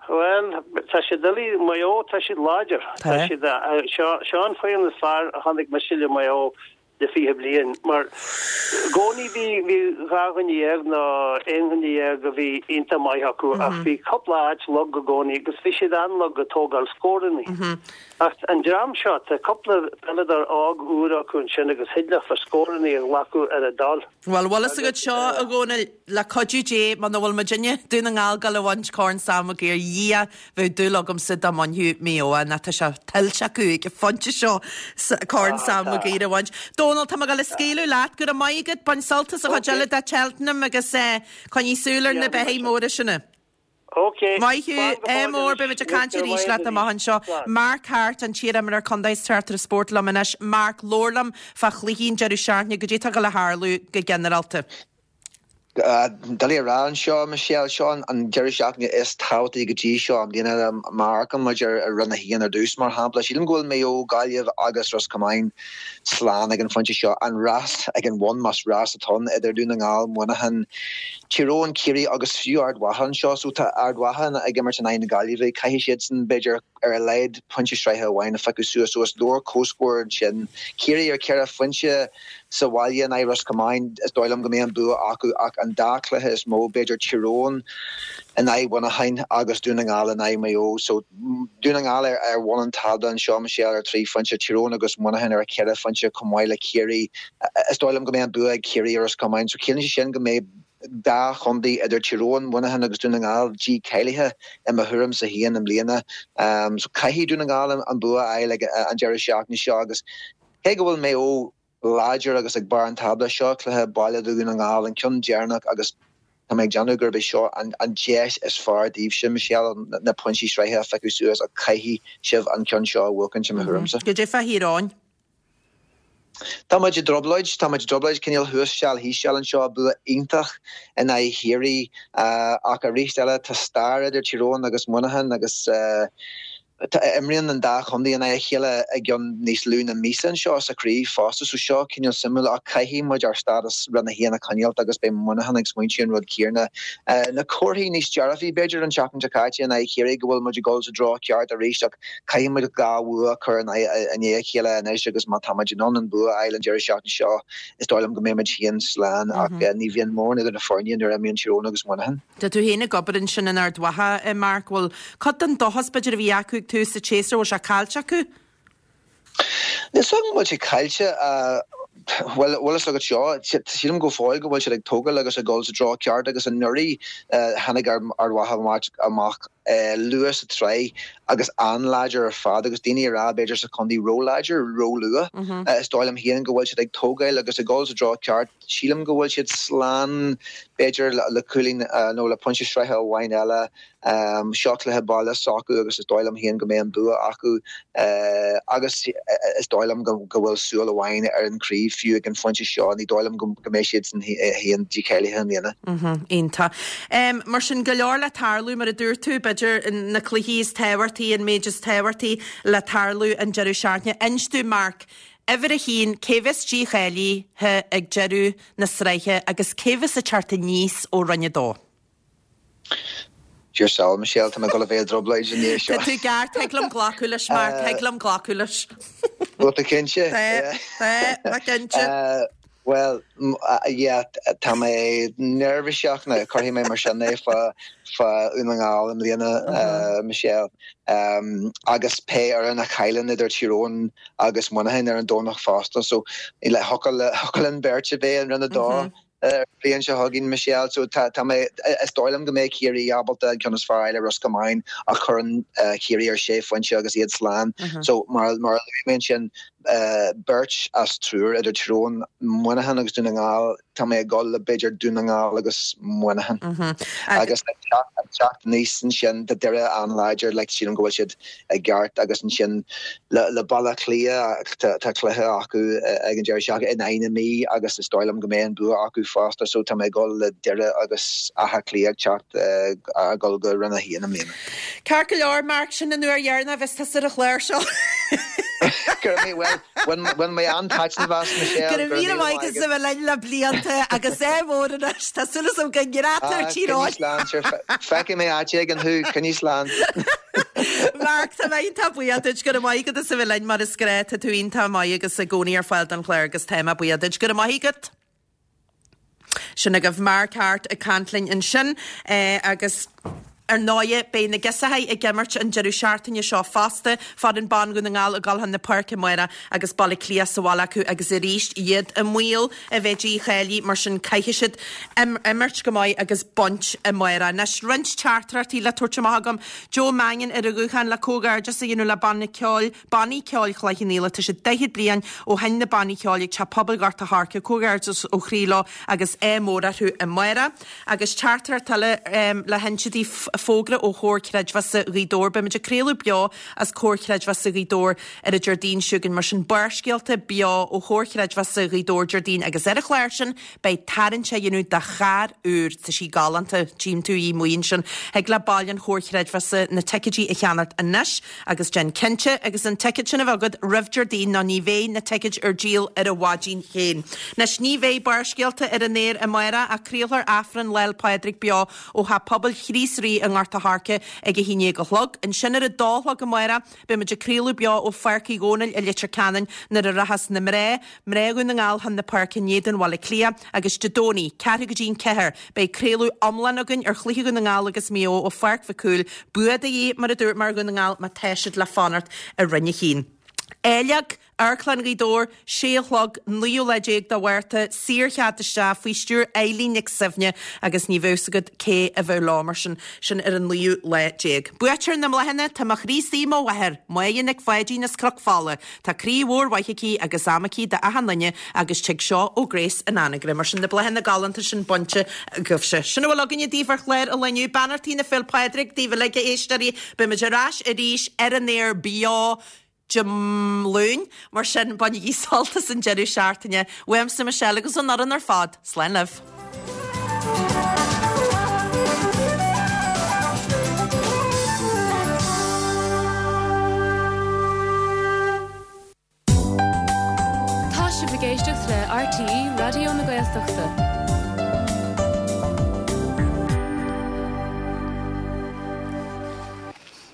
Bhuel, tá siad doiligh, Maigh Eo, tá siad láidir. Tá. Tá siad, seo, seo an foireann is fearr a chonaic mise le Maigh Eo le 20 bliain, mar i gcónaí bhí bhí 12 dhuine nó aon dhuine dhéag a bhí iontach maith acu ach bhí cúpla áit lag i gcónaí agus bhí siad an-lag ag tógáil scóranna. Ach an dream seo, tá cúpla peileadóir óg úr acu ansin agus thig leofa scóranna a ghlacadh ar a dtoil. Bhuel, bhfuil fhios agat seo, a Dhónaill, le cuidiú Dé, muna bhfuil muidinne, Dún na nGall, ag dul a bhaint Corn Sam Maguire, Dhia, Bheadh dúil agamsa dá mbainfeadh Maigh Eo é, nó tá sé tuillte acu ag an phointe seo Corn Sam Maguire a bhaint. Dónal, tá mé ag dul a scaoileadh leat. Go raibh maith agat. Bain sult as an chuid eile de Cheltenham agus coinnigh súil ar na beithígh móra sin. Maith thú. Ádh mór. Beidh muid ag caint arís leat amach anseo. Mark Harte, an t-iarimreoir contae is tráchtaire spóirt liom anois. Mark, labhair liom fá chluichí an deireadh seachtaine, goidé atá ag dul a tharlú go ginearálta. Doiligh a rá anseo, Michelle. Seo an deireadh seachtaine is tábhachtaí go dtí seo i mbliana. Má amharcann muid ar Roinn 1 ar dtús, mar shampla, sílim go bhfuil Maigh Eo, Gaillimh agus Ros Comáin slán ag an phointe seo. An rás ag an bhun, más rás atá ann, idir Dún na nGall, Muineachán, Tír Eoghain, Ciarraí agus fiú Ard Mhacha anseo. So tá Ard Mhacha ag imirt in aghaidh na Gaillimhe. Caithfidh siadsan, b'fhéidir, ar a laghad pointe sraithe amháin a phiocadh suas. So is leor comhscór ansin. Ciarraí ar cheithre phointe sa bhaile in aghaidh Ros Comáin, is dóigh liom go mbeidh an bua acu ach an dá chluiche is mó, b'fhéidir Tír Eoghain in aghaidh Mhuineacháin agus Dún na nGall in aghaidh Maigh Eo. So Dún na nGall ar ar bhun an tábla anseo, Michelle, ar thrí phointe, Tír Eoghain agus Muineachán ar cheithre phointe chomh maith le Ciarraí. Is dóigh liom go mbeidh an bua ag Ciarraí ar Ros Comáin. So ciallaíonn sé sin go mbeidh dá chontae idir Tír Eoghain, Muineachán agus Dún na nGall dícháilithe i mo thuairimse féin i mbliana. So caithfidh Dún na nGall an bua a fháil ag an deireadh seachtaine seo agus cé go bhfuil Maigh Eo láidir agus ag barr an tábla, seo cluiche baile do Dhún na nGall, an ceann deireanach agus tá mé ag déanamh gurb é seo an deis is fearr daoibhse, Michelle, na pointí sraithe a phiocadh suas ach caithfidh sibh an ceann seo a bhuachaint i mo thuairimse. Goidé fá Thír Eoghain? Tá muid i dtrioblóid, tá muid i dtrioblóid, cineál thuas seal thíos seal anseo, bua iontach in aghaidh Chiarraí ach arís eile tá stair idir Tír Eoghain agus Muineachán agus imríonn an dá chontae in aghaidh a chéile i gceann níos lú na míosa anseo sa chraobh fosta so seo cineál suimiúil ach caithfidh muid ár stádas Roinn 1 a choinneáilt agus beidh Muineachán ag smaointiú an rud céanna. Na comharthaí níos dearfaí b'fhéidir an tseachtain seo caite in aghaidh Chiarraí go bhfuil muid ag dul sa dtreo ceart arís ach Caithfidh muid dhá bhua a chur i ndiaidh a chéile anois agus má tá muid in ann an bua a fháil an deireadh seachtaine seo, is dóigh liom go mbeidh muid féin slán ach ní bhíonn mórán idir na foirne nuair a imríonn Tír Eoghain agus Muineachán. Tá tú féin ag obair ansin in Ard Mhacha, a Mark. Bhfuil cuid den dóchas b'fhéidir a bhí acu ag tús an tséasúir, bhfuil sé caillte acu? Níl 's agam an bhfuil sé caillte. Bhuel, bhfuil fhios agat seo, sílim go fóill go bhfuil siad ag tógáil agus ag dul sa treo ceart agus anuraidh tháinig Ard Mhacha amach. Luath sa tsraith agus an-láidir ar fad agus daoine ag rá b'fhéidir sa chontae ró-láidir, ró-luath. Is dóigh liom féin go bhfuil siad ag tógáil agus ag dul sa treo ceart. Sílim go bhfuil siad slán b'fhéidir le cúilín nó le pointe sraithe amháin eile. Seo cluiche baile s'acu agus is dóigh liom féin go mbeidh an bua acu agus is dóigh liom go bhfuil súil amháin ar an chraobh fiú ag an phointe seo. Ní dóigh liom go mbeidh siadsan féin dícháilithe i mbliana. Iontach. Mar sin, go leor le tarlú, mar a dúirt tú, b'fhéidir na cluichí is tábhachtaí, an méid is tábhachtaí le tarlú an deireadh seachtaine. Inis dom, Mark, uimhir a haon, cé bheas dícháilithe ag deireadh na sraithe agus cé bheas ag teacht aníos ó Roinn 2? Dear soul, Michelle, tá mé ag dul a bheith i dtrioblóid i ndiaidh seo. Tá tú ceart, thig liom glacadh leis, Mark, thig liom glacadh leis. Bhfuil tú cinnte? Tá, tá, tá cinnte. Bhuel, yeah, tá mé neirbhíseach, nó cuirfidh mé mar sin é, fá Dhún na nGall i mbliana, Michelle. Agus pé fhoireann a chailleann idir Tír Eoghain agus Muineachán ar an Domhnach fosta, so thiocfadh linn beirt a bheith in Roinn 2. An bhliain seo chugainn, Michelle, so tá, tá mé, is dóigh liom go mbeidh Ciarraí ábalta an ceann is fearr a fháil ar Ros Comáin ach cuireann Ciarraí ar sé phointe agus iad slán. So mar, mar a luaigh mé ansin, beirt as triúr idir Tír Eoghain, Muineachán agus Dún na nGall, tá mé ag dul le b'fhéidir Dún na nGall agus Muineachán. Agus ag teacht, ag teacht aníos ansin, tá Doire an-láidir, like sílim go bhfuil siad i gceart agus ansin le Baile Átha Cliath tá cluiche acu ag an deireadh seachtaine in aghaidh na Mí agus is dóigh liom go mbeidh an bua acu fosta so tá mé ag dul le Doire agus Áth Cliath ag teacht ag dul go Roinn 1 i mbliana. Ceart go leor, Mark, sin an uair dheireanach a bheas tusa ar an chlár seo. Go raibh mé, bhuel, bhain mé an-taitneamh as, Michelle. Go raibh míle maith agat as a bheith linn le blianta agus ádh mór anois. Tá súil agam go ngrádtar Tír Eoghain. Coinnigh slán, sure. Feicfidh mé áit éigin thú, coinnigh slán. Mark, tá mé iontach buíoch duit. Go raibh maith agat as a bheith linn mar is gnách. Tá tú iontach maith agus i gcónaí ar fáil don chlár agus tá mé buíoch duit. Go raibh maith agat. Sin agaibh Mark Harte ag caint linn ansin agus ar ndóighe beidh na girseachaí ag imirt an deireadh seachtaine seo fosta, foireann ban Dhún na nGall ag dul chun na páirce amárach agus Baile Átha Cliath sa bhaile acu agus arís iad i mbaol a bheith dícháilithe mar sin caithfidh siad imirt go maith agus baint amárach. Anois roinnt teachtaireachtaí le tabhairt amach agam. Joe Mannion ar an ghuthán le comhghairdeas a dhéanamh le banna ceoil Bannaí Ceoil Chloich Cheann Fhaola, tá sé 40 bliain ó sheinn na bannaí ceoil ag Teach Pobail Ghort a' Choirce, comhghairdeas ó chroí leo agus ádh mór orthu amárach. Agus teachtaireacht eile le hinse daoibh, fógra ó Chomhar Creidmheasa Ghaoth Dobhair, beimid ag craoladh beo as Comhar Creidmheasa Ghaoth Dobhair ar an Déardaoin seo chugainn, mar sin Barrscéalta beo ó Chomhar Creidmheasa Ghaoth Dobhair Déardaoin agus ar an chlár sin beidh tarraingt á dhéanamh do charr úr, tá sí galánta, tchím tú í amuigh ansin, thig le baill an Chomhar Chreidmheasa na ticéidí a cheannacht anois. Agus déan cinnte agus an ticéad sin a bheith agat roimh Déardaoin nó ní bheidh na ticéid ar díol ar an mhaidin féin. Anois ní bheidh Barrscéalta ar an aer amárach ach craolfar Aifreann Lá'l Pádraig beo ó Theach Pobail Chríost Rí i nGort a' Choirce ag a haon déag a chlog. Ansin ar a dó a chlog amárach beidh muid ag craoladh beo ó Pháirc Uí Dhónaill i Leitir Ceanainn nuair a rachas na mná, mná Dhún na nGall chun na páirce in éadan Bhaile Átha Cliath agus Dé Domhnaigh, ceathrú go dtí an ceathair, Beidh craoladh iomlán againn ar chluiche Dhún na nGall agus Maigh Eo ó Pháirc Mhic Cumhaill. Bua de dhíth, mar a dúirt mé ar Dhún na nGall má tá siad le fanacht i Roinn 1. Áilleag, Amharclann Ghaoth Dobhair, sé a chlog, 19ú lá de Mhárta, saorchead isteach, faoi stiúir Eilín Nic Suibhne agus ní bheadh 's agat cé a bheadh leo mar sin, sin ar an naoú lá déag. Buaiteoir na mbláthanna, tá mo chroí istigh i mo mháthair, Máire Nic Pháidín as Cnoc Fola. Tá croí mhór mhaith aici agus am aici d'achan duine agus tig seo ó Grace in Anagaire. Mar sin na bláthanna galánta sin bainte agaibhse. Sin a bhfuil againne daoibh ar chlár an lae inniu. Beannachtaí na Féil Pádraig daoibh uilig a éisteoirí. Beimid ar ais arís ar an aer beo Dé Luain. Mar sin bainigí sult as an deireadh seachtaine. Uaimse Michelle agus ón fhoireann ar fad. Slán libh. Tá sibh ag éisteacht le RTÉ Raidió na Gaeltachta.